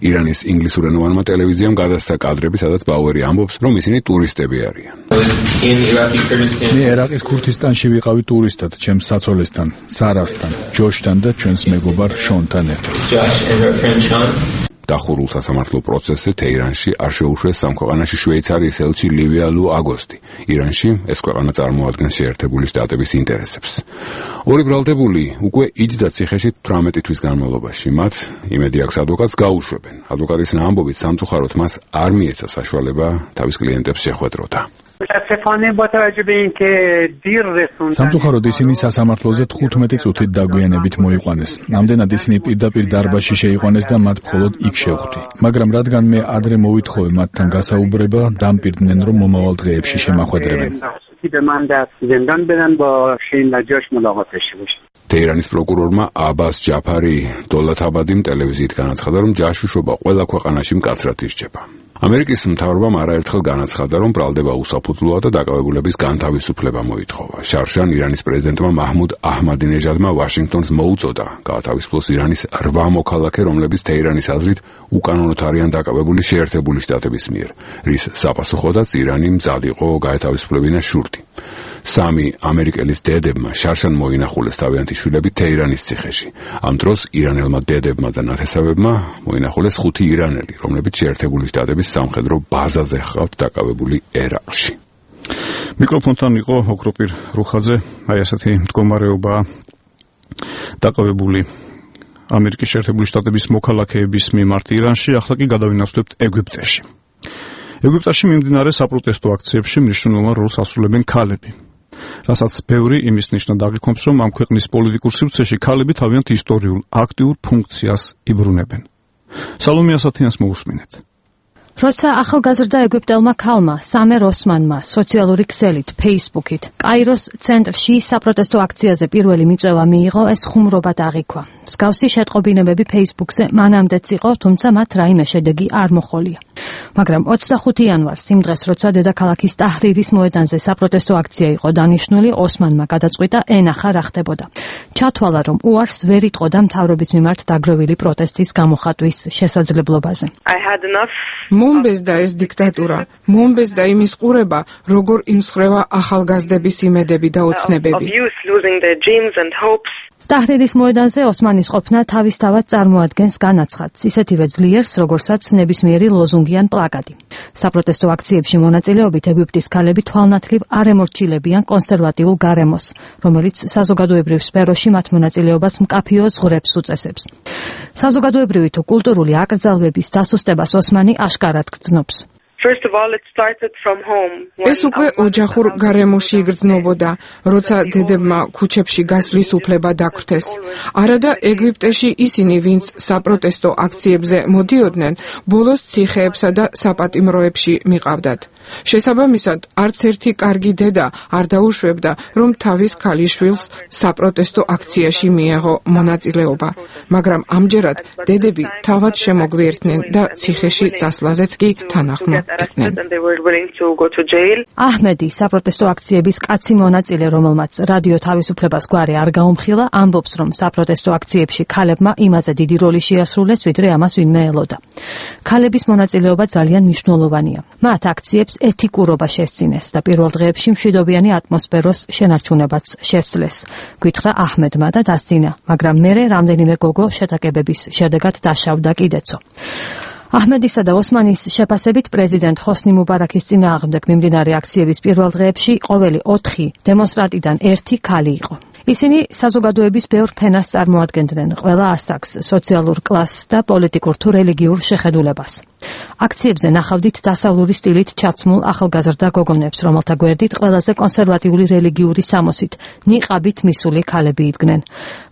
ირანის ინგლისურენოვანმა ტელევიზიამ გადასცა კადრები, სადაც ბაუერი ამბობს, რომ ისინი ტურისტები არიან. მე ერაყის ქურთისტანში ვიყავი ტურისტად, ჩემს საცოლესთან, სარასთან, ჯოშთან და ჩვენს მეგობარ შონთან ერთად. დახურულ სასამართლო პროცესზე თეირანში არ შეუშვეს სამქვეყანაში შვეიცარიის ელჩი ლივია ლუ აგოსტი. ირანში ეს ქვეყანა წარმოადგენს შეერთებული შტატების ინტერესებს. ორი ბრალდებული უკვე იჯდა ციხეში 18 თვის განმავლობაში. მათ იმედი აქვს ადვოკატს გაუშვებენ. ადვოკატის ამბობით სამწუხაროდ მას არ მიეცა საშუალება თავის კლიენტებს შეხვედროდა. სამწუხაროდ ისინი სასამართლოზე 15 წუთით დაგვიანებით მოიყვანეს. ამდენად ისინი პირდაპირ დარბაზში შეიყვანეს და მათ მხოლოდ იქ შევხვდი. მაგრამ რადგან მე ადრე მოვითხოვე მათთან გასაუბრება, დამპირდნენ რომ მომავალ დღეებში შემახვედრებენ. თეირანის პროკურორმა აბას ჯაფარი დოლათაბადიმ ტელევიზიით განაცხადა, რომ ჯაშუშობა ყველა ქვეყანაში მკაცრად ისჯება. ამერიკის მთავრობამ არაერთხელ განაცხადა, რომ ბრალდება უსაფუძვლოა და დაკავებულების განთავისუფლება მოითხოვა. შარშან ირანის პრეზიდენტმა მაჰმუდ აჰმადინეჟადმა ვაშინგტონს მოუწოდა გაათავისუფლოს ირანის 8 მოქალაქე, რომლებიც თეირანის აზრით უკანონოდ არიან დაკავებული შეერთებული შტატების მიერ, რის საპასუხოდაც ირანი მზად იყო გაეთავისუფლებინა შურდი. 3 ამერიკელის დედებმა შარშან მოინახულეს თავიანთი შვილები თეირანის ციხეში. ამ დროს ირანელმა დედებმა და ნათესავებმა მოინახულეს 5 ირანელი, რომლებიც შეერთებული შტატების სამხედრო ბაზაზე ჰყავთ დაკავებული ერაყში. მიკროფონთან იყო ოქროპირ რუხაძე. აი ასეთი მდგომარეობაა დაკავებული ამერიკის შეერთებული შტატების მოქალაქეების მიმართ ირანში. ახლა კი გადავინაცვლებთ ეგვიპტეში. ეგვიპტეში მიმდინარე საპროტესტო აქციებში მნიშვნელოვან როლს ასრულებენ ქალები. რასაც ბევრი იმის ნიშნად აღიქვამს, რომ ამ ქვეყნის პოლიტიკურ სივრცეში ქალები თავიანთ ისტორიულ აქტიურ ფუნქციას იბრუნებენ. სალომე ასათიანს მოусმინეთ. როცა ახალგაზრდა ეგვიპტელმა ქალმა სამერ ოსმანმა სოციალური ქსელით Facebook-ით კაიროს ცენტრში საპროტესტო აქციაზე პირველი მიწვევა მიიღო, ეს ხუმრობად აღიქვა. მსგავსი შეტყობინებები Facebook-ზე მანამდეც იყო, თუმცა მათ რაიმე შედეგი არ მოჰყოლია. მაგრამ 25 იანვარს იმ დღეს, როცა დედაქალაქის ტაჰრირის მოედანზე საპროტესტო აქცია იყო დანიშნული, ოსმანმა გადაწყვიტა ენახა რა ხდებოდა. ჩათვალა, რომ უარს ვერ იტყოდა მთავრობის მიმართ დაგროვილი პროტესტის გამოხატვის შესაძლებლობაზე. მომბეზდა ეს დიქტატურა, მომბეზდა იმის ყურება, როგორ იმსხვრევა ახალგაზრდების იმედები და ოცნებები. ტაჰრირის მოედანზე ოსმანის ყოფნა თავისთავად წარმოადგენს განაცხადს, ისეთივე ძლიერს, როგორცაც ნებისმიერი ლოზუნგი ან პლაკატი. საპროტესტო აქციებში მონაწილეობით ეგვიპტის ქალები თვალნათლივ არ ემორჩილებიან კონსერვატიულ გარემოს, რომელიც საზოგადოებრივ სფეროში მათ მონაწილეობას მკაფიო ზღვრებს უწესებს. საზოგადოებრივი თუ კულტურული აკრძალვების დასუსტებას ოსმანი აშკარად გრძნობს. ეს უკვე ოჯახურ გარემოში იგრძნობოდა, როცა დედებმა ქუჩებში გასვლის უფლება დაგვრთეს. არადა ეგვიპტეში ისინი, ვინც საპროტესტო აქციებზე მოდიოდნენ, ბოლოს ციხეებსა და საპატიმროებში მიყავდათ. შესაბამისად, არც ერთი კარგი დედა არ დაუშვებდა, რომ თავის ქალიშვილს საპროტესტო აქციაში მიეღო მონაწილეობა, მაგრამ ამჯერად დედები თავად შემოგვიერთნენ და ციხეში წასვლაზეც კი თანახმო. arrested and they were willing to go to jail. აჰმედი საპროტესტო აქციების კაცი მონაწილე, რომელმაც რადიო თავისუფლებას გვარი არ გაუმხილა, ამბობს, რომ საპროტესტო აქციებში ქალებმა იმაზე დიდი როლი შეასრულეს, ვიდრე ამას ვინმე ელოდა. ქალების მონაწილეობა ძალიან მნიშვნელოვანია. მათ აქციებს ეთიკურობა შესწინეს და პირველ დღეებში მშვიდობიანი ატმოსფეროს შენარჩუნებაც შესძლეს. გითხრა აჰმედმა და დასძინა, მაგრამ მერე რამდენიმე გოგო შეტაკებების შედეგად დაშავდა კიდეცო. აჰმედისა და ოსმანის შეფასებით პრეზიდენტ ჰოსნი მუბარაქის წინააღმდეგ მიმდინარე აქციების პირველ დღეებში ყოველი 4 დემონსტრანტიდან 1 ქალი იყო. ისინი საზოგადოების ბევრ ფენას წარმოადგენდნენ, ყველა ასაკს, სოციალურ კლასს და პოლიტიკურ თუ რელიგიურ შეხედულებას. აქციებზე ნახავდით დასავლური სტილით ჩაცმულ ახალგაზრდა გოგონებს, რომელთა გვერდით ყველაზე კონსერვატიული რელიგიური სამოსით, ნიყაბით მისული ქალები იდგნენ.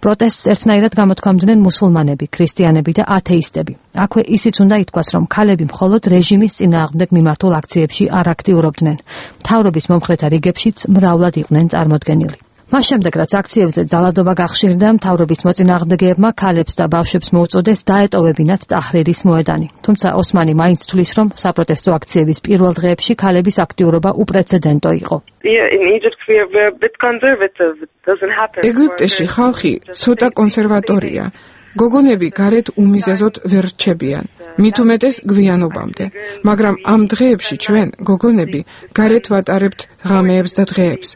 პროტესტს ერთნაირად გამოთქვამდნენ მუსულმანები, ქრისტიანები და ათეისტები. აქვე ისიც უნდა ითქვას, რომ ქალები მხოლოდ რეჟიმის წინააღმდეგ მიმართულ აქციებში არ აქტიურობდნენ. მთავრობის მომხრეთა რიგებშიც მრავლად იყვნენ წარმოდგენილი. მას შემდეგ, რაც აქციებზე ძალადობა გახშირდა, მთავრობის მოწინააღმდეგეებმა ქალებს და ბავშვებს მოუწოდეს დაეტოვებინათ ტაჰრირის მოედანი. თუმცა ოსმანი მაინც თვლის, რომ საპროტესტო აქციების პირველ დღეებში ქალების აქტიურობა უპრეცედენტო იყო. ეგვიპტეში ხალხი ცოტა კონსერვატორია. გოგონები გარეთ უმიზეზოდ ვერ რჩებიან, მით უმეტეს გვიანობამდე, მაგრამ ამ დღეებში ჩვენ, გოგონები, გარეთ ვატარებთ ღამეებს და დღეებს.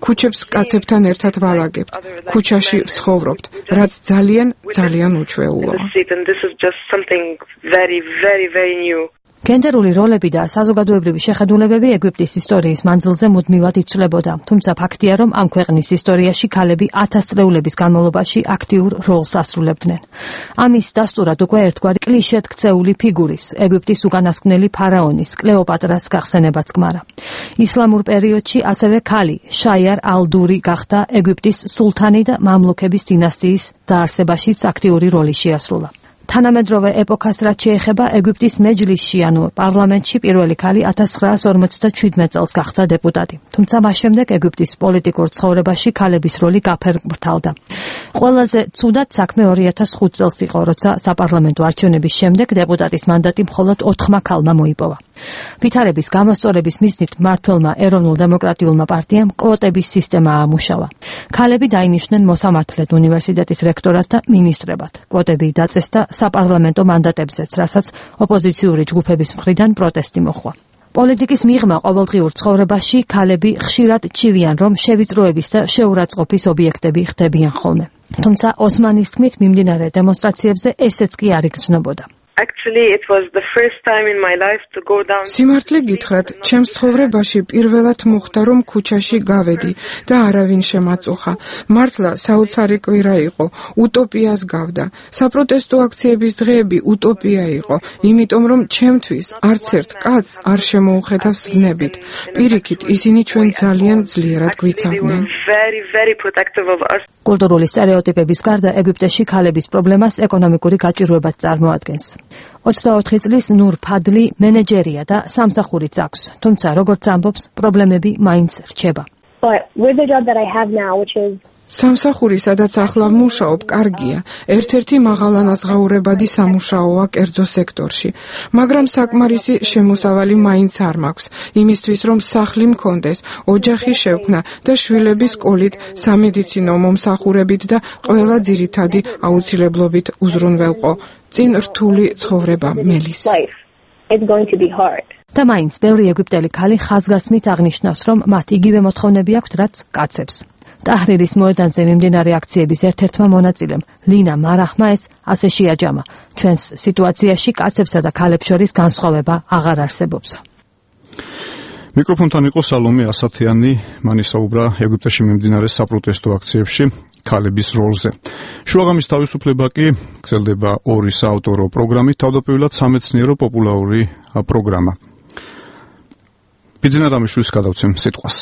ქუჩებს კაცებთან ერთად ვალაგებთ, ქუჩაში ვცხოვრობთ, რაც ძალიან უჩვეულოა. გენდერული როლები და საზოგადოებრივი შეხედულებები ეგვიპტის ისტორიის მანძილზე მუდმივად იცვლებოდა, თუმცა ფაქტია, რომ ამ ქვეყნის ისტორიაში ქალები 1000 წლეულების განმავლობაში აქტიურ როლს ასრულებდნენ. ამის დასტურად უკვე ერთგვარი კლიშედ ქცეული ფიგურის, ეგვიპტის უკანასკნელი ფარაონის, კლეოპატრას გახსენებაც გმარა. ისლამურ პერიოდში ასევე ქალი, შაიარ ალ-დური გახდა ეგვიპტის სულთანი და მამლუქების დინასტიის დაარსებაშიც აქტიური როლი შეასრულა. თანამედროვე ეპოქას რაც შეეხება ეგვიპტის მეჯლისში, ანუ პარლამენტში პირველი ქალი 1957 წელს გახდა დეპუტატი. თუმცა მას შემდეგ ეგვიპტის პოლიტიკურ ცხოვრებაში ქალების როლი გაფერმრთალდა. ყველაზე ცუდად საქმე 2005 წელს იყო, როცა საპარლამენტო არჩევნების შემდეგ დეპუტატის მანდატი მხოლოდ 4 ქალმა მოიპოვა. ვითარების გამოსწორების მიზნით მმართველმა ეროვნულ დემოკრატიულმა პარტიამ კვოტების სისტემა აამუშავა. ქალები დაინიშნენ მოსამართლედ უნივერსიტეტის რექტორად და მინისტრებად. კვოტები დაწესდა საპარლამენტო მანდატებზეც, რასაც ოპოზიციური ჯგუფების მხრიდან პროტესტი მოჰყვა. პოლიტიკის მიღმა ყოველდღიურ ცხოვრებაში ქალები ხშირად ჩივიან, რომ შევიწროების და შეურაცხყოფის ობიექტები ხდებიან ხოლმე. თუმცა ოსმანის თქმით მიმდინარე დემონსტრაციებზე ესეც კი არ იგრძნობოდა. Actually, it was the first time in my life to go down. სიმართლე გითხრათ, ჩემს ცხოვრებაში პირველად მოხდა, რომ ქუჩაში გავედი და არავინ შემაწუხა. მართლა საოცარი კვირა იყო, უტოპიას გავდა. საპროტესტო აქციების დღეები უტოპია იყო, იმიტომ რომ ჩემთვის არც ერთ კაცს არ შემოუხედა სვნებით. პირიქით, ისინი ჩვენ ძალიან ძლიერად გვიცავდნენ. კულტურული სტერეოტიპების გარდა ეგვიპტეში ქალების პრობლემას ეკონომიკური გაჭირვებაც წარმოადგენს. 24 წლის ნურ ფადლი მენეჯერია და სამსახურიც აქვს, თუმცა როგორც ამბობს, პრობლემები მაინც რჩება. სამსახური, სადაც ახლა ვმუშაობ, კარგია. ერთ-ერთი მაღალანაზღაურებადი სამუშაოა კერძო სექტორში, მაგრამ საკმარისი შემოსავალი მაინც არ მაქვს, იმისთვის რომ სახლი მქონდეს, ოჯახი შევქმნა და შვილების სკოლით, სამედიცინო მომსახურებით და ყველა ძირითადი აუცილებლობით უზრუნველყო. წინ რთული ცხოვრება მელის. და მაინც ბევრი ეგვიპტელი ქალი ხაზგასმით აღნიშნავს, რომ მათ იგივე მოთხოვნები აქვთ, რაც კაცებს. ტაჰრირის მოედანზე მიმდინარე აქციების ერთ-ერთმა მონაწილემ, ლინა მარახმა ეს ასე შეაჯამა. ჩვენს სიტუაციაში კაცებსა და ქალებს შორის განსხვავება აღარ არსებობს. მიკროფონთან იყო სალომე ასათიანი, მან ისაუბრა ეგვიპტეში მიმდინარე საპროტესტო აქციებში ქალების როლზე. შუაღამის თავისუფლება კი გრძელდება 2 საავტორო პროგრამით, თავდაპირველად სამეცნიერო პოპულარული პროგრამა. ბიძინა რამიშვილის გადავცემ სიტყვას.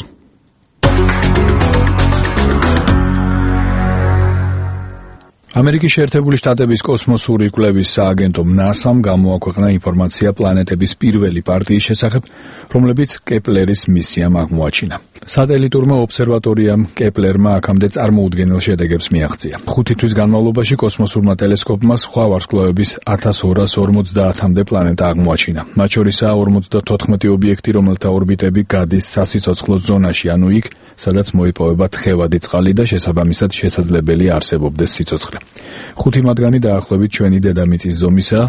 ამერიკის შეერთებული შტატების კოსმოსური კვლევის სააგენტო NASA-მ გამოაქვეყნა ინფორმაცია პლანეტების პირველი პარტიის შესახებ, რომლებიც კეპლერის მისიამ აღმოაჩინა. სატელიტურმა ობსერვატორიამ კეპლერმა აქამდე წარმოუდგენელ შედეგებს მიაღწია. 5 თვის განმავლობაში კოსმოსურმა ტელესკოპმა სხვა ვარსკვლავების 1250-მდე პლანეტა აღმოაჩინა. მათ შორისაა 54 ობიექტი, რომელთა ორბიტები გადის სასიცოცხლო ზონაში, ანუ იქ, სადაც მოიპოვება თხევადი წყალი და შესაბამისად შესაძლებელი არსებობდეს სიცოცხლე. 5 მათგანი დაახლოებით ჩვენი დედამიწის ზომისაა.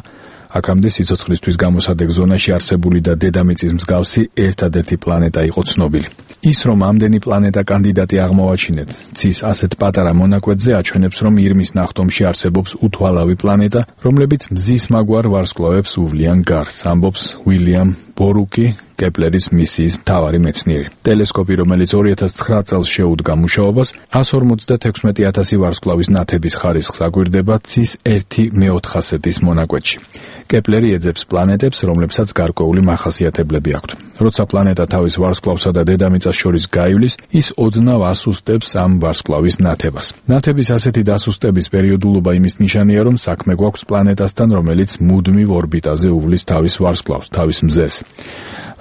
აქამდე სიცოცხლისთვის გამოსადეგ ზონაში არსებული და დედამიწის მსგავსი ერთადერთი პლანეტა იყო ცნობილი. ის, რომ ამდენი პლანეტა კანდიდატი აღმოვაჩინეთ, ცის ასეთ პატარა მონაკვეთზე აჩვენებს, რომ ირმის ნახტომში არსებობს უთვალავი პლანეტა, რომლებიც მზის მაგვარ ვარსკვლავებს უვლიან გარს, ამბობს უილიამ ბორუკი, კეპლერის მისიის მთავარი მეცნიერი. ტელესკოპი, რომელიც 2009 წელს შეუდგა მუშაობას, 156,000 ვარსკვლავის ნათების ხარისხს აგვირდება ცის 1/4-ის მონაკვეთში. კეპლერი ეძებს პლანეტებს, რომლებსაც გარკვეული მახასიათებლები აქვთ. როცა პლანეტა თავის ვარსკვლავსა და დედამიწას შორის გაივლის, ის ოდნავ ასუსტებს ამ ვარსკვლავის ნათებას. ნათების ასეთი დასუსტების პერიოდულობა იმის ნიშანია, რომ საქმე გვაქვს პლანეტასთან, რომელიც მუდმივ ორბიტაზე უვლის თავის ვარსკვლავს, თავის მზეს.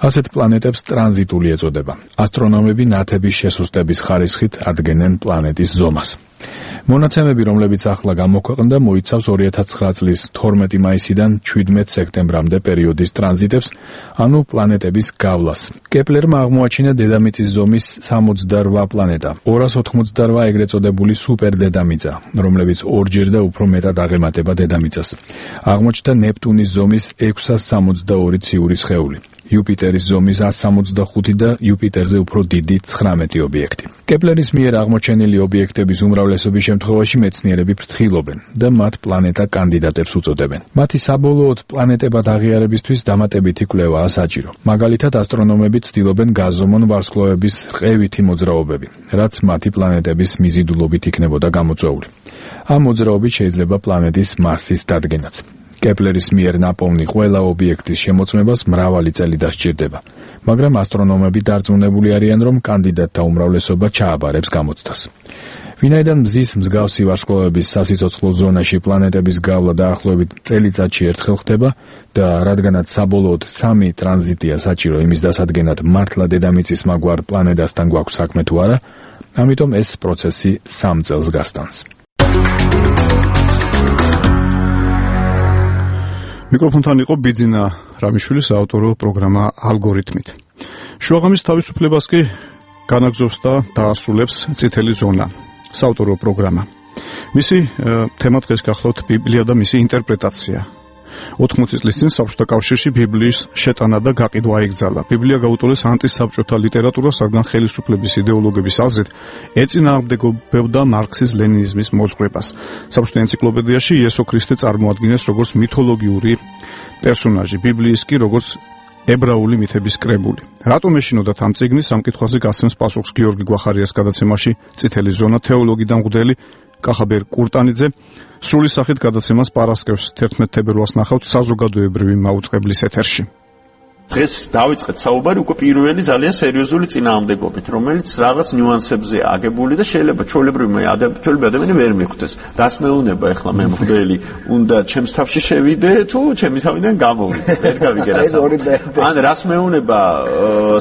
ასეთ პლანეტებს ტრანზიტული ეწოდება. ასტრონომები ნათების შესუსტების ხარისხით ადგენენ პლანეტის ზომას. მონაცემები, რომლებიც ახლა გამოქვეყნდა, მოიცავს 2009 წლის 12 მაისიდან 17 სექტემბრამდე პერიოდის ტრანზიტებს, ანუ პლანეტების გავლას. კეპლერმა აღმოაჩინა დედამიწის ზომის 68 პლანეტა, 288 ეგრეთ წოდებული სუპერდედამიწა, რომლებიც ორჯერ და უფრო მეტად აღემატება დედამიწას. აღმოჩნდა ნეპტუნის ზომის 662 ციური სხეული. იუპიტერის ზომის 165 და იუპიტერზე უფრო დიდი 19 ობიექტი. კეპლერის მიერ აღმოჩენილი ობიექტების უმრავლესობის შემთხვევაში მეცნიერები ფრთხილობენ და მათ პლანეტა კანდიდატებს უწოდებენ. მათი საბოლოოდ პლანეტებად აღიარებისთვის დამატებითი კვლევაა საჭირო. მაგალითად, ასტრონომები ცდილობენ გაზომონ ვარსკვლავების რყევითი მოძრაობები, რაც მათი პლანეტების მიზიდულობით იქნებოდა გამოწვეული. ამ მოძრაობით შეიძლება პლანეტის მასის დადგენაც. კეპლერის მიერ ნაპოვნი ყველა ობიექტის შემოწმებას მრავალი წელი დასჭირდება, მაგრამ ასტრონომები დარწმუნებული არიან, რომ კანდიდატთა უმრავლესობა ჩააბარებს გამოცდას. ვინაიდან მზის მსგავსი ვარსკვლავების სასიცოცხლო ზონაში პლანეტების გავლა დაახლოებით წელიწადში ერთხელ ხდება და რადგანაც საბოლოოდ 3 ტრანზიტია საჭირო იმის დასადგენად, მართლა დედამიწის მაგვარ პლანეტასთან გვაქვს საქმე თუ არა, ამიტომ ეს პროცესი 3 წელს გასტანს. მიკროფონთან იყო ბიძინა რამიშვილის საავტორო პროგრამა ალგორითმით. შუაღამის თავისუფლებას კი განაგზობს და დაასრულებს წითელი ზონა, საავტორო პროგრამა. მისი თემა დღეს გახლავთ ბიბლია და მისი ინტერპრეტაცია. 80 წლის წინ საბჭოთა კავშირში ბიბლიის შეტანა და გაყიდვა აიგზალა. ბიბლია გაუტოლეს ანტისაბჭოთა ლიტერატურას, რადგან ხელისუფლების იდეოლოგების აზრით ეწინააღმდეგებდა მარქსის ლენინიზმის მოძღვრებას. საბჭოთა ენციკლოპედიაში იესო ქრისტე წარმოადგენს როგორც მითოლოგიური პერსონაჟი, ბიბლიის კი როგორც ებრაული მითების კრებული. რატომ ეშინოდათ ამ წიგნის სამკითხვაზე გასცემს პასუხს გიორგი გვახარიას გადაცემაში წითელი ზონა თეოლოგი და მღვდელი კახაბერ კურტანიძე. სრული სახით გადაცემას პარასკევს 11 თებერვალს ნახავთ საზოგადოებრივი მაუწყებლის ეთერში. დღეს დავიწყეთ საუბარი უკვე პირველი ძალიან სერიოზული წინააღმდეგობით, რომელიც რაღაც ნიუანსებზე აგებული და შეიძლება ჩვეულებრივი ადამიანი ვერ მიხვდეს. რას მეუნება ახლა მე მღვდელი, უნდა ჩემს თავში შევიდე თუ ჩემი თავიდან გამოვიდე, ვერ გავიგე რას. ან რას მეუნება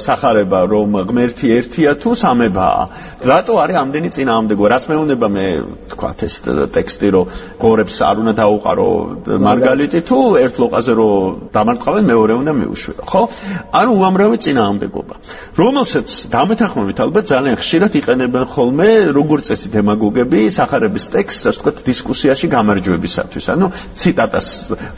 სახარება, რომ ღმერთი ერთია თუ სამებაა. რატო არის ამდენი წინააღმდეგო? რას მეუნება მე თქვათ ეს ტექსტი, რომ გორებს არ უნდა დაუყარო მარგალიტი თუ ერთ ლოყაზე რომ დამარტყავენ, მეორე უნდა მიუშვიო. ხო? ანუ უამრავი წინააღმდეგობა, რომელსაც დამეთანხმებით ალბათ ძალიან ხშირად იყენებენ ხოლმე როგორც წესი დემაგოგები სახარების ტექსტს, ასე ვთქვათ, დისკუსიაში გამარჯვებისათვის. ანუ ციტატას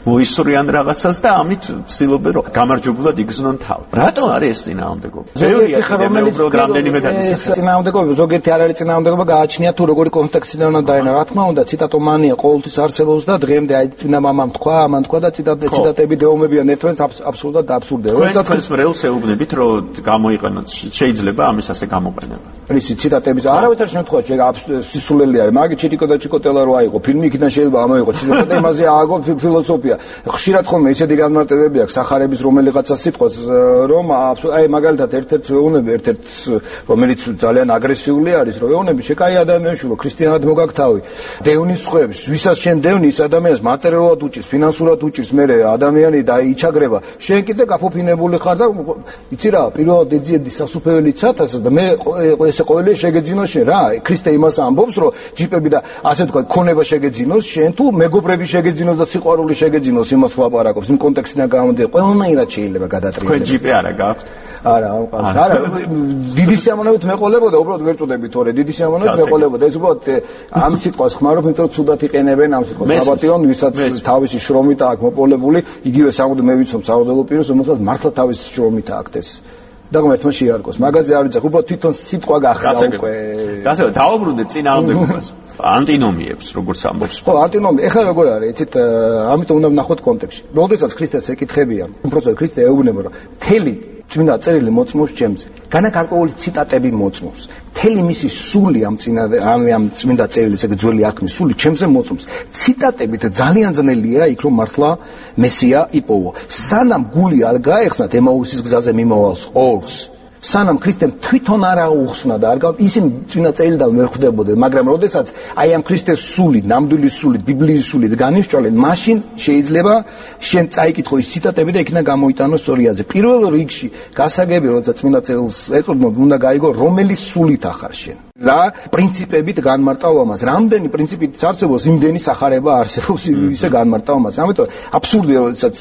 მოისურვიან რაღაცას და ამით ცდილობენ რომ გამარჯვებულად იგრძნონ თავი. რატო არის ეს წინააღმდეგობა? ბევრია მე უბრალოდ რამდენიმე დაგისახა. წინააღმდეგობა ზოგიერთი არ არის წინააღმდეგობა, გააჩნია თუ როგორი კონტექსტიდან უნდა დაენა. რა თქმა უნდა, ციტატომანია ყოველთვის არსებობს და დღემდე აი წინა მამამ თქვა, ამან თქვა და ციტატები დეომებიან ერთმანეთს აბსურდად და აბსურდად. მოხდე. თქვენს მრევლს ეუბნებით, რომ გამოიყენოთ, შეიძლება ამის ასე გამოყენება. ისი ციტატების არავითარ შემთხვევაში სისულელი არის. მაგით ჩიტიკო და ჩიკოტელა რო აიღო, ფილმი იქიდან შეიძლება ამოიღო, ციტატა იმაზე ააგო ფილოსოფია. ხშირად ხოლმე ისეთი განმარტებები აქვს სახარების რომელიღაცა სიტყვას, რომ აი მაგალითად ერთ-ერთი ვეუბნები, ერთ-ერთი რომელიც ძალიან აგრესიული არის, რომ ვეუბნები შეკაი ადამიანშულო, ქრისტიანად მოგაქთავი. დევნის ხვევს, ვისაც შენ დევნის ადამიანს მატერიალურად უჭირს, ფინანსურად უჭირს, მე ადამიანი დაიჩაგრება. შენ კიდე გაფოფინებული ხარ და იცი რა, პირველად ეძიედი სასუფეველი ცათას და მე ესე ყოველი შეგეძინოს შენ რა. ქრისტე იმას ამბობს, რომ ჯიპები და ასე თქვა, ქონება შეგეძინოს შენ თუ მეგობრები შეგეძინოს და სიყვარული შეგეძინოს იმას ვლაპარაკობს. იმ კონტექსტიდან გამომდინარე, ყველანაირად შეიძლება გადატრიალება. თქვენ ჯიპი არა გაქვთ? არა, არა, დიდი სიამოვნებით მეყოლებოდა, უბრალოდ ვერ წოდები თორე, დიდი სიამოვნებით მეყოლებოდა. ეს უბრალოდ ამ სიტყვას ხმარობ, იმიტომ რომ ცუდად იყენებენ ამ სიტყვას. საბატიონ, ვისაც თავისი შრომით აქვს მოპოვებული, იგივე სამუდ მე ვიცნობ საუდელო პირს, რომელსაც მართლა თავისი შრომით აქვს ეს. და ღმერთმა შეარგოს. მაგაზე არ ვიცი, უბრალოდ თვითონ სიტყვა გახრა უკვე. გასაგებია, დაუბრუნდეთ წინააღმდეგობას. ანტინომიებს, როგორც ამბობს. ხო, ანტინომი. ეხლა როგორ არის, იცით, ამიტომ უნდა ვნახოთ კონტექსტში. როდესაც ქრისტეს ეკითხებია, უბრალოდ ქრისტე ეუბნება, რომ თელი წმინდა წერილი მოწმობს ჩემზე. განაკარკვეული ციტატები მოწმობს. თელი მისი სული ამ წმინდა წერილის ეგ ძველი აქმის სული ჩემზე მოწმობს. ციტატებით ძალიან ძნელია იქ რომ მართლა მესია იპოვო. სანამ გული არ გაეხსნათ ემაუსის გზაზე მიმავალს ორს. სანამ ქრისტემ თვითონ არ აუხსნა და არ ისინი წმინდა წერილიდან ვერ ხვდებოდნენ, მაგრამ როდესაც აი ამ ქრისტეს სული, ნამდვილი სული, ბიბლიის სული განისწვალენ, მაშინ შეიძლება შენ წაიკითხო ის ციტატები და იქიდან გამოიტანოს სწორიაზე. პირველ რიგში გასაგები, როცა წმინდა წერილს ეყრდნობ, უნდა გაიგო, რომელი სულით ახარ შენ. რა პრინციპებით განმარტავ ამას, რამდენი პრინციპით არსებობს, იმდენი სახარება არსებობს ისე განმარტავ ამას. ამიტომ აბსურდია, როდესაც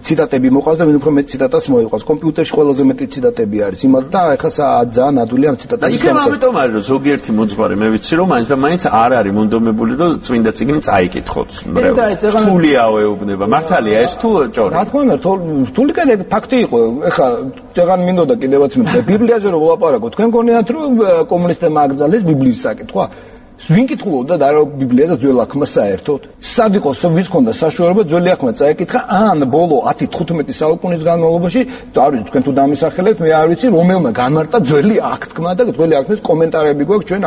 ციტატები მოყვას და ვინ უფრო მეტ ციტატას მოიყვას. კომპიუტერში ყველაზე მეტი ციტატები არის იმათ და ეხლა ძალიან ადვილი ამ ციტატების. იქნებ ამიტომ არის, რომ ზოგიერთი მოძღვარი მე ვიცი, რომ მაინც და მაინც არ არის მონდომებული, რომ წმინდა წიგნი წაიკითხოთ. რთულიაო ეუბნება. მართალია ეს თუ ჭორი? რა თქმა უნდა, რთული კიდე ფაქტი იყო. ეხლა წეგან მინდოდა კიდევაც მე ბიბლიაზე რომ ვლაპარაკო, თქვენ გონიათ რომ კომუნისტებმა აკრძალეს ბიბლიის საკითხვა? ვინ კითხულობდა და რა ბიბლია და ძველ აქმა საერთოდ? სად იყო ვის ქონდა საშუალება ძველი აქმა წაეკითხა ან ბოლო 10-15 საუკუნის განმავლობაში და არ ვიცი თქვენ თუ დამისახელებთ მე არ ვიცი რომელმა განმარტა ძველი აქტმა და ძველი აქტის კომენტარები გვაქვს ჩვენ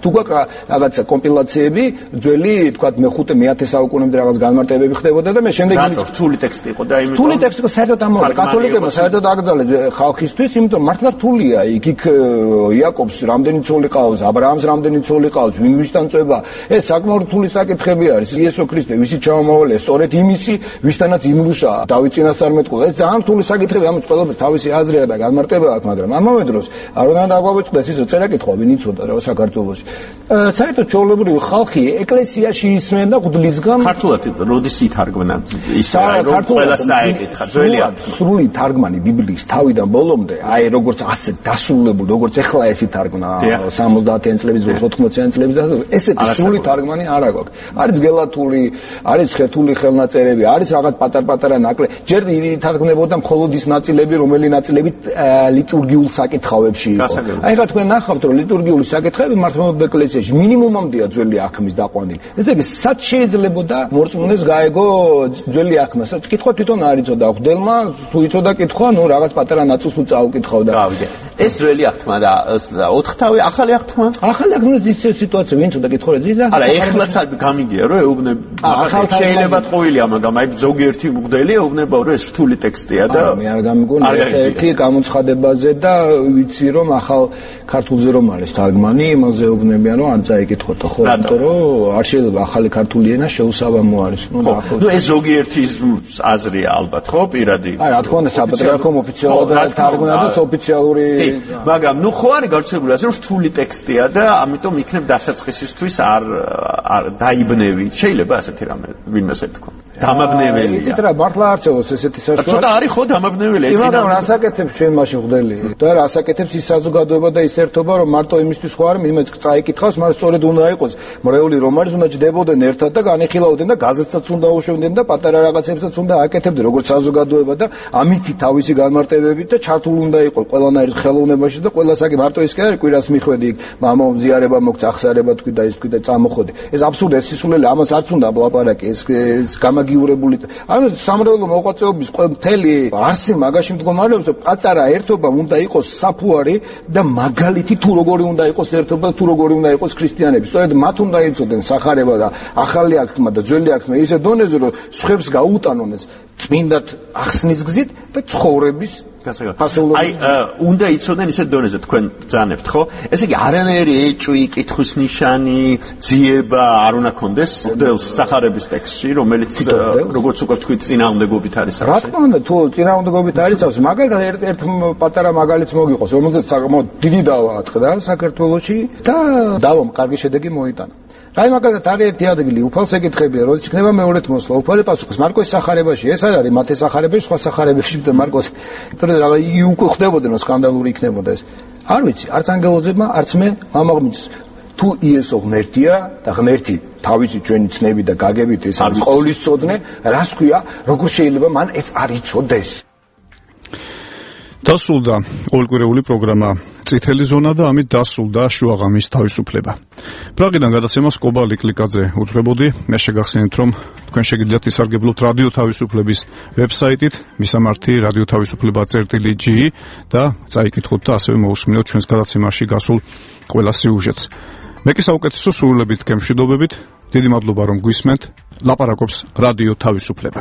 თუ გვაქვს რაღაცა კომპილაციები ძველი თქვა მე-5 მე-10 საუკუნემდე რაღაც განმარტებები ხდებოდა და მე შემდეგ რთული ტექსტი იყო და იმით რთული ტექსტი იყო საერთოდ ამავე კათოლიკებმა საერთოდ აკრძალეს ხალხისთვის იმიტომ მართლა რთულია იქ იაკობს რამდენი ცოლი ყავს აბრაამს რამდენი ცოლი ყავს ვისთან წובה ეს საკმაოდ რთული საკითხები არის იესო ქრისტე ვისი ჩამოვალე სწორედ იმისი ვისთანაც იმუშა დავით წინასწარმეტყველა ეს ძალიან რთული საკითხები ამის ყველაფერს თავისი აზრია და განმარტება აქვს მაგრამ ამავე დროს არ უნდა დაგვაგვიწყდეს ის წერა კითხვა ვინ იცოდა რა საქართველოში საერთოდ ჩვეულებრივი ხალხი ეკლესიაში ისმენ და ღვთლისგან ქართულად როდის ითარგმნა ის რომ ყველას დაეკითხა ძველი სრული თარგმანი ბიბლიის თავიდან ბოლომდე აი როგორც ასე დასრულებული როგორც ეხლა ეს ითარგმნა 70-იან წლების 80-იან წლების ესეთი სრული თარგმანი არ აქვს. არის გელათული, არის ხეთული ხელნაწერები, არის რაღაც პატარ-პატარა ნაკლები. ჯერ ითარგმნებოდა მხოლოდ ის ნაწილები, რომელი ნაწილები ლიტურგიულ საკითხავებში იყო. აი ხა თქვენ ნახავთ, რომ ლიტურგიული საკითხები მართლმადიდებლურ ეკლესიაში მინიმუმამდეა ძველი აქმის დაყვანილი. ესე იგი, სად შეიძლებოდა მორწმუნეს გაეგო ძველი აქმას? კითხვა თვითონ არ იცოდა ღვთელმა, თუ იცოდა კითხვა, ნუ რაღაც პატარა ნაწილს თუ წაუკითხავდა. ეს ძველი აღთმა და 4 თავი ახალი აღთმა? ახალი აღთმის სიტუაცია ვინც უნდა კითხო რა არა ეხლაც გამიგია რომ ეუბნება შეიძლება ტყუილია მაგრამ აი ზოგიერთი მგდელი ეუბნება რომ ეს რთული ტექსტია და მე არ გამიგონია ერთი გამოცხადებაზე და ვიცი რომ ახალ ქართულზე რომ არის თარგმანი იმაზე ეუბნებიან რომ არ წაიკითხოთ ხო იმიტომ რომ არ შეიძლება ახალი ქართული ენა შეუსაბამო არის ნუ ეს ზოგიერთი აზრია ალბათ ხო პირადი აი რა თქმა უნდა საპატრიარქომ ოფიციალურად თარგმნა და ოფიციალური მაგრამ ნუ ხო არის გავრცელებული ასე რომ რთული ტექსტია და ამიტომ იქნებ დასაწყისისთვის არ დაიბნევი შეიძლება ასეთი რამე ვინმეს ეთქვა დამაბნეველია იცით რა მართლა არჩევოს ესეთი საშუალება ცოტა არის ხო დამაბნეველი ეცინა მაგრამ რასაკეთებს ჩვენ მაშინ ხვდელი და რასაკეთებს ის საზოგადოება და ის ერთობა რომ მარტო იმისთვის ხო არის იმეც წაიკითხავს მაგრამ სწორედ უნდა იყოს მრევლი რომ არის უნდა ჯდებოდნენ ერთად და განეხილავდნენ და გაზეთსაც უნდა უშვებდნენ და პატარა რაღაცებსაც უნდა აკეთებდნენ როგორც საზოგადოება და ამითი თავისი განმარტებებით და ჩართულ უნდა იყოს ყველანაირ ხელოვნებაში და ყველასაკი მარტო ის კი არის კვირას მიხვედი მამამზიარება მოგწახსარება თქვი და ის თქვი და წამოხოდი ეს აბსურდია ეს სისულელი ამას არც უნდა ვლაპარაკი ეს გამაგი განმაგიურებული. ანუ სამრევლო მოღვაწეობის მთელი არსი მაგაში მდგომარეობს, რომ პატარა ერთობა უნდა იყოს საფუარი და მაგალითი თუ როგორი უნდა იყოს ერთობა, თუ როგორი უნდა იყოს ქრისტიანები. სწორედ მათ უნდა იცოდნენ სახარება და ახალი აღთქმა და ძველი აღთქმა ისე დონეზე, რომ სხვებს გაუტანონეს წმინდად ახსნის გზით და ცხოვრების აი უნდა იცოდნენ ისეთ დონეზე თქვენ ბრძანებთ ხო? ესე იგი არანაირი ეჭვი, კითხვის ნიშანი, ძიება არ უნდა კონდეს მღვდელს სახარების ტექსტში, რომელიც როგორც უკვე თქვით წინააღმდეგობით არის. რა თქმა უნდა, თუ წინააღმდეგობით არის, მაგალითად ერთ პატარა მაგალითს მოგიყოს, რომელზეც საკმაოდ დიდი დავა ატყდა საქართველოში და დავამ კარგი შედეგი მოიტანა. აი მაგალითად არის ერთი ადგილი, უფალს ეკითხებია, როდის იქნება მეორედ მოსვლა, უფალი პასუხობს, მარკოს სახარებაში, ეს არ არის მათეს სახარებაში, სხვა სახარებაში და მარკოს. თორე რა იგი უკვე ხდებოდნენ, რომ სკანდალური იქნებოდა ეს. არ ვიცი, არც ანგელოზებმა, არც მე ამაღმის. თუ იესო ღმერთია და ღმერთი თავისი ჩვენი ცნები და გაგებით ეს არის ყოვლისწოდნე, რას ქვია, როგორ შეიძლება მან ეს არ იცოდეს? დასრულდა ყოველკვირეული პროგრამა წითელი ზონა და ამით დასრულდა შუაღამის თავისუფლება. პრაღიდან გადაცემას კობალი კლიკაძე უძღვებოდი. მე შეგახსენებთ, რომ თქვენ შეგიძლიათ ისარგებლოთ რადიო თავისუფლების ვებსაიტით მისამართი radiotavisupleba.ge და წაიკითხოთ და ასევე მოусმინოთ ჩვენს გადაცემაში გასულ ყველა სიუჟეტს. მე კი საუკეთესო სურვილებით გემშვიდობებით. დიდი მადლობა რომ გვისმენთ. ლაპარაკობს რადიო თავისუფლება.